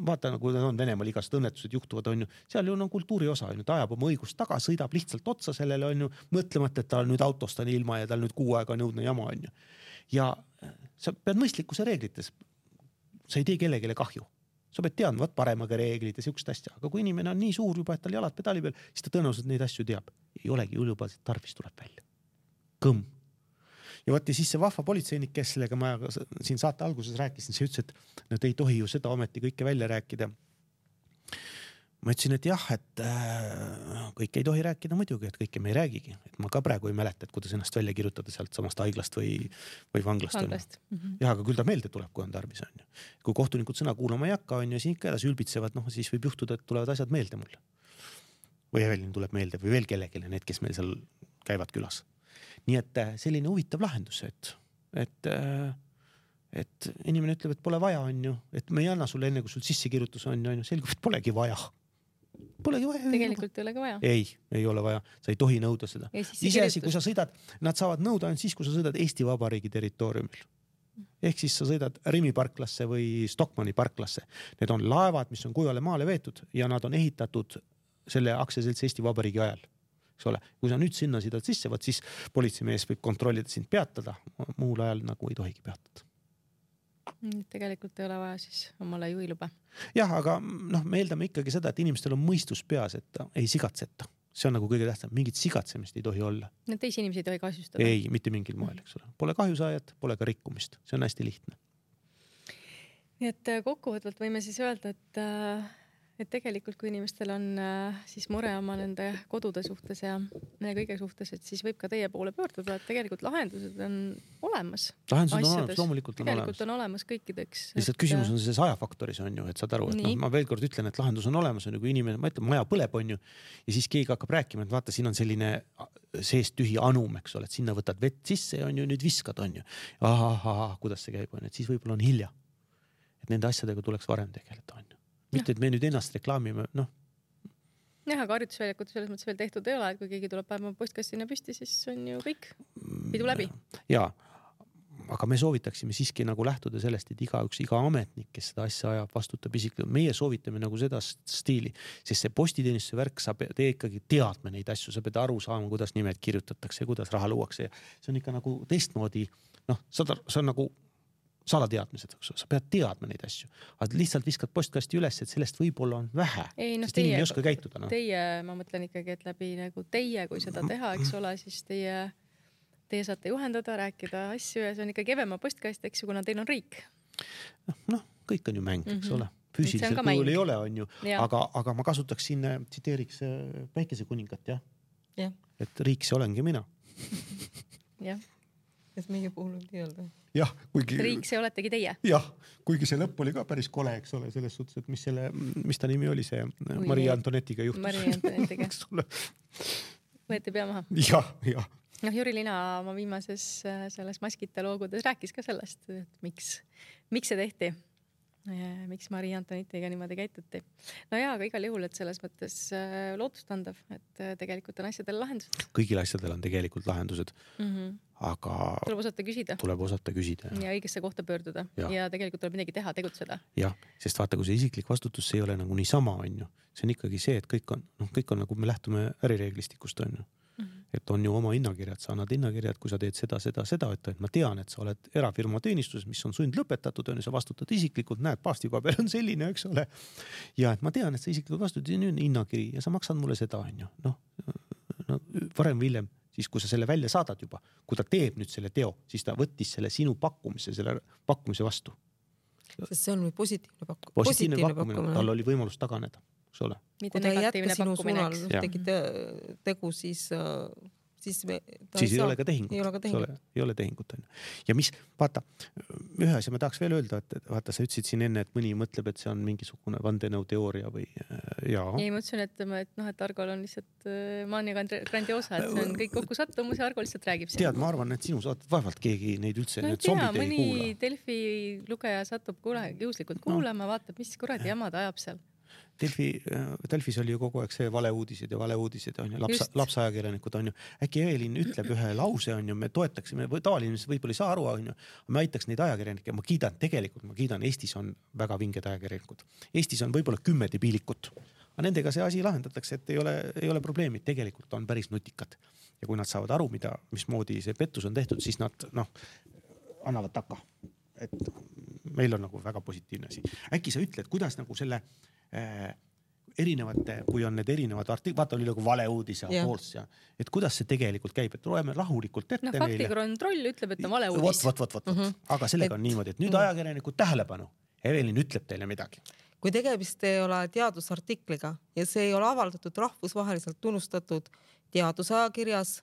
vaata nagu on Venemaal igased õnnetused juhtuvad, on ju, seal ju on kultuuri osa, on ju, ta ajab oma õigust taga, sõidab lihtsalt otsa sellele, on ju, mõtlemata, et tal nüüd autost on ilma ja tal nüüd 6 aega on jõudne jama, on ju. Ja sa pead mõistlikkuse reeglites, sa ei tee kellegile kahju. Sa pead teadma, paremaga reeglid ja siukest asja, aga kui inimene on nii suur juba, et tal jalad pedaali peal, siis ta tõenäoliselt neid asju teab. Ei olegi juhilubasid, tarvis tuleb välja. Kõmm. Ja võtti siis see vahva politseinik, kes sellega ma siin saate alguses rääkisin, see ütles, et nad ei tohi ju seda ometi kõike välja rääkida. Ma ütlesin, et jah, et kõik ei tohi rääkida muidugi, et kõike me ei räägigi. Et ma ka praegu ei mäleta, et kuidas ennast välja kirjutada sealt samast haiglast või vanglast. Jah, aga küll ta meelde tuleb, kui on tarvis. On ju. Kui kohtunikud sõna kuulama ei hakka, on ju, siin ikka edasi ülbitsevad, siis võib juhtuda, et tulevad asjad meelde mulle. Või Evelin tuleb meelde või veel kellegile, need, kes meil seal käivad külas. Nii et selline huvitav lahendus, et inimene ütleb, et pole vaja, on ju, et me ei anna sulle enne, kui sul sissekirjutus on ju, selgub, et polegi vaja. Tegelikult ei olegi vaja. Ei ole vaja, sa ei tohi nõuda seda. Iseasi, kui sa sõidad, nad saavad nõuda ainult siis, kui sa sõidad Eesti Vabariigi territooriumil. Ehk siis sa sõidad Rimi parklasse või Stockmanni parklasse. Need on laevad, mis on kujale maale veetud ja nad on ehitatud selle aktsiaseltsi Eesti Vabariigi ajal. Eks ole, kui sa nüüd sinna sõidad sisse, siis politseimees võib kontrollida sind peatada, muul ajal nagu ei tohigi peatada. Tegelikult ei ole vaja siis omale juhiluba. Jah, aga me eeldame ikkagi seda, et inimestel on mõistus peas, et ei sigatseta. See on nagu kõige tähtsam, mingit sigatsemist ei tohi olla. Teisi inimesi ei tohi kahjustada. Ei, mitte mingil moel, eks ole. Pole kahjusaajat, pole ka rikkumist. See on hästi lihtne. Nii et kokkuvõtvalt võime siis öelda, et tegelikult kui inimestel on siis mure oma nende kodude suhtes ja kõige suhtes, et siis võib ka teie poole pöörduda, et tegelikult lahendused on olemas. Lahendused on olemas, loomulikult on tegelikult on olemas kõikideks. Lihtsalt küsimus on selles ajafaktoris on ju, et saad aru, et ma veel kord ütlen, et lahendus on olemas, on ju, kui inimene, ma ütlen, maja põleb on ju, ja siis keegi hakkab rääkima, et vaata, siin on selline seest tühi anum, eks ole, et sinna võtad vett sisse ja on ju, nüüd viskad on ju. Kuidas see käib, on, et siis võib-olla on hilja. Et nende asjadega tuleks varem tegeleda on ju. Mitte, et me nüüd ennast reklaamime, Jah, aga harjutusväljakut selles mõttes veel tehtud ei ole, et kui keegi tuleb päeva postkastina püsti, siis on ju kõik pidu läbi. Jaa, aga me soovitaksime siiski nagu lähtuda sellest, et iga ametnik, kes seda asja ajab, vastutab isiklikult. Meie soovitame nagu seda stiili, sest see postiteenistuse värk, sa pead ikkagi teadma neid asju, sa pead aru saama, kuidas nimed kirjutatakse ja kuidas raha luuakse. See on ikka nagu teistmoodi, see on nagu salateadmised, sa pead teadma neid asju, aga lihtsalt viskad postkasti üles, et sellest võib-olla on vähe, sest inimene ei oska käituda. Teie, ma mõtlen ikkagi, et läbi nagu teie, kui seda teha, eks ole, siis teie saate juhendada, rääkida asju ja see on ikka kevema postkast, eks ju, kuna teil on riik. Kõik on ju mäng, eks ole. Füüsiliselt kujul ei ole, on ju, aga ma kasutaks siin, tsiteeriks Päikesekuningat, jah? Et riik see olengi mina. Jah. Kas meie puhul võib öelda? Jah, kuigi... Riik see oletegi teie. Jah, kuigi see lõpp oli ka päris kole, eks ole, selles suhtes, et mis ta nimi oli see Maria Antonetiga juhtus. Maria Antonetiga. võeti pea maha. jah. Noh, Jüri Lina oma viimases selles Maskite loogudes rääkis ka sellest, et miks see tehti. Miks Marie Antoinettiga niimoodi käituti. No jaa, aga igal juhul, et selles mõttes lootustandav, et tegelikult on asjadel lahendused. Kõigil asjadel on tegelikult lahendused, aga tuleb osata küsida. Ja õigesse kohta pöörduda ja tegelikult tuleb midagi teha, tegutseda. Jah, sest vaata, kui see isiklik vastutus, see ei ole nagu niisama, on ju. See on ikkagi see, et kõik on nagu me lähtume ärireeglistikust, on ju. Et on ju oma hinnakirjad, sa annad hinnakirjad, kui sa teed seda, et ma tean, et sa oled erafirma teenistuses, mis on sund lõpetatud, on ju, sa vastutad isiklikult, näed, paastipaber on selline, eks ole. Ja et ma tean, et sa isiklikult vastutad, on hinnakiri ja sa maksad mulle seda, on ju. No, varem või hiljem, siis kui sa selle välja saadad juba, kui ta teeb nüüd selle teo, siis ta võttis selle sinu selle pakkumise vastu. Sest see on positiivne pakkumine. Tal oli võimalus taganeda. Kui ta ei jätka sinu suunal tegi tegu, siis ei ole ka tehingut. Ei ole tehingut. Ja mis, vaata, ühe asja ma tahaks veel öelda, et vaata, sa ütlesid siin enne, et mõni mõtleb, et see on mingisugune vandenõuteooria või jaa. Ei, ma ütlesin, et Argol on lihtsalt maania grandiosa, et see on kõik kokku sattumus ja Argo lihtsalt räägib siin. Tead, ma arvan, et sinu saated vaevalt keegi neid üldse no, need zombid ei kuula. Mõni Delfi lugeja satub juhuslikult kuulama, vaatab, mis kuradi jamad ajab seal. Delfis oli ju kogu aeg see valeuudised on ju, lapsajakirjanikud on ju. Äkki Evelin ütleb ühe lause on ju, me toetaksime, tavaline võib-olla ei saa aru on ju, me aitaks neid ajakirjanikke, ma kiidan, Eestis on väga vinged ajakirjanikud. Eestis on võib-olla 10 debiilikut, aga nendega see asi lahendatakse, et ei ole probleemid, tegelikult on päris nutikad. Ja kui nad saavad aru, mismoodi see pettus on tehtud, siis nad annavad taka. Et meil on nagu väga positiivne asi. Äkki sa ütled, kuidas nagu selle erinevate, kui on need erinevad vaata oli nagu valeuudis ja pools ja et kuidas see tegelikult käib, et loeme rahulikult ette neile. Faktikontroll ütleb, et on valeuudis. Aga sellega on niimoodi, et nüüd ajakirjanikud tähelepanu. Evelin ütleb teile midagi. Kui tegemist ei ole teadusartikliga ja see ei ole avaldatud rahvusvaheliselt tunnustatud teadusajakirjas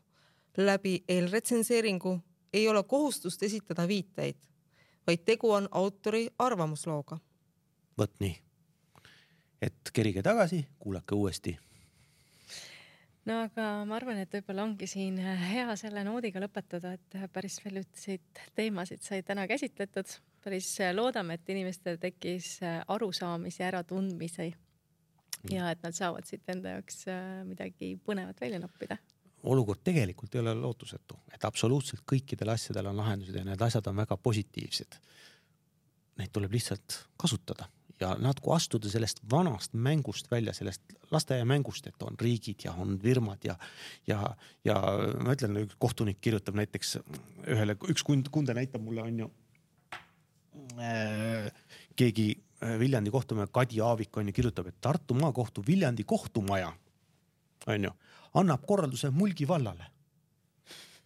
läbi eelretsenseeringu, ei ole kohustust esitada viiteid, vaid tegu on autori arvamuslooga. Võt nii. Et kerige tagasi, kuulake uuesti. No aga ma arvan, et võib-olla ongi siin hea selle noodiga lõpetada, et päris väljusid teemasid sai täna käsitletud. Päris loodame, et inimestel tekkis arusaamis ja äratundmisi ja et nad saavad siit enda jaoks midagi põnevat välja noppida. Olukord tegelikult ei ole lootusetu, et absoluutselt kõikidel asjadel on lahendused ja need asjad on väga positiivsed. Neid tuleb lihtsalt kasutada. Ja nad kui astuda sellest vanast mängust välja, sellest lasteaia mängust, et on riigid ja on firmad ja ma ütlen, üks kohtunik kirjutab näiteks ühele, üks kunde näitab mulle on ju keegi Viljandi kohtumaja, Kadi Aavik on ju kirjutab, et Tartu maakohtu Viljandi kohtumaja on ju, annab korralduse Mulgi vallale.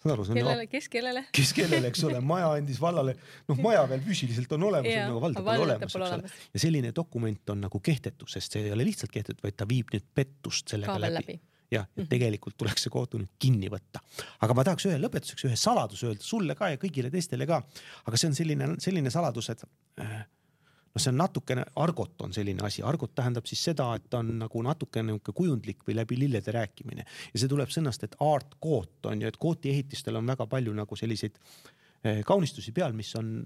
Kes kellele, eks ole, maja andis vallale, maja veel füüsiliselt on olemas, on nagu valda pole olemas. Ja selline dokument on nagu kehtetu, sest see ei ole lihtsalt kehtetu, vaid ta viib nüüd pettust sellega läbi. Ja tegelikult tuleks see kohtu nüüd kinni võtta. Aga ma tahaks lõpetuseks ühe saladus öelda sulle ka ja kõigile teistele ka. Aga see on selline saladus, et see on natukene, argot on selline asi. Argot tähendab siis seda, et on nagu natukene kujundlik või läbi lillede rääkimine. Ja see tuleb sõnast, et art koot on ju, et kooti ehitistel on väga palju nagu selliseid kaunistusi peal, mis on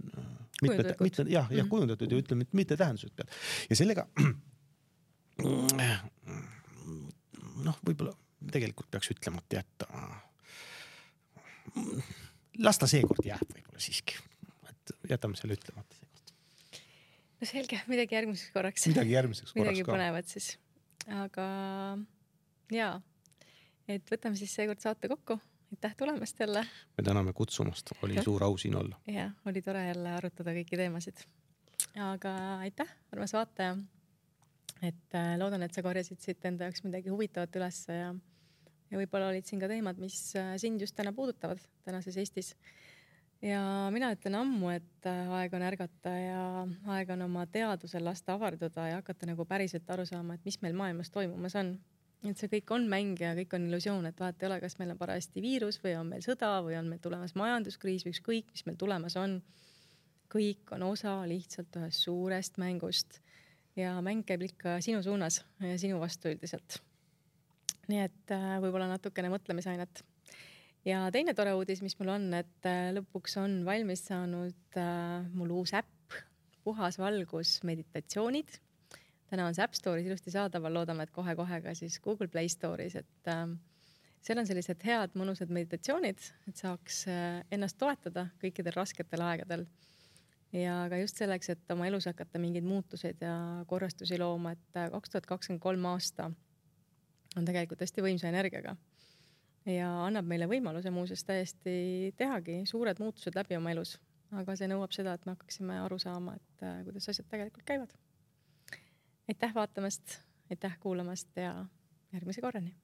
kujundatud ja ütleme, mitte tähendused peal. Ja sellega võib-olla tegelikult peaks ütlemata jätta. Las ta seekord jääb võib-olla siiski. Et jätame selle ütlemata. No selge, midagi järgmiseks korraks. Midagi põnevat siis. Aga jaa, et võtame siis seekord saate kokku. Aitäh tulemast jälle. Me täname kutsumast, oli suur au siin olla. Ja, oli tore jälle arutada kõiki teemasid. Aga aitäh, armas vaataja. Et loodan, et sa korjasid siit enda jaoks midagi huvitavat üles ja võib-olla olid siin ka teemad, mis sind just täna puudutavad tänases Eestis. Ja mina ütlen ammu, et aeg on ärgata ja aeg on oma teadusel lasta avarduda ja hakata nagu päriselt aru saama, et mis meil maailmas toimumas on. Et see kõik on mäng ja kõik on illusioon, et vahet ei ole, kas meil on parajasti viirus või on meil sõda või on meil tulemas majanduskriis või ükskõik, mis meil tulemas on. Kõik on osa lihtsalt ühest suurest mängust ja mäng käib ikka sinu suunas ja sinu vastu üldiselt. nii et võib-olla natukene mõtlemisainet. Ja teine tore uudis, mis mul on, et lõpuks on valmis saanud mul uus äpp, Puhas valgus meditatsioonid. Täna on see App Store'is ilusti saadaval, loodame, et kohe-kohe ka siis Google Play Store'is, et seal on sellised head mõnusad meditatsioonid, et saaks ennast toetada kõikidel rasketel aegadel. Ja ka just selleks, et oma elus hakata mingeid muutused ja korrastusi looma, et 2023 aasta on tegelikult hästi võimsa energiaga ja annab meile võimaluse muuseas täiesti tehagi suured muutused läbi oma elus. Aga see nõuab seda, et me hakkaksime aru saama, et kuidas asjad tegelikult käivad. Aitäh vaatamast, aitäh kuulamast ja järgmise korrani!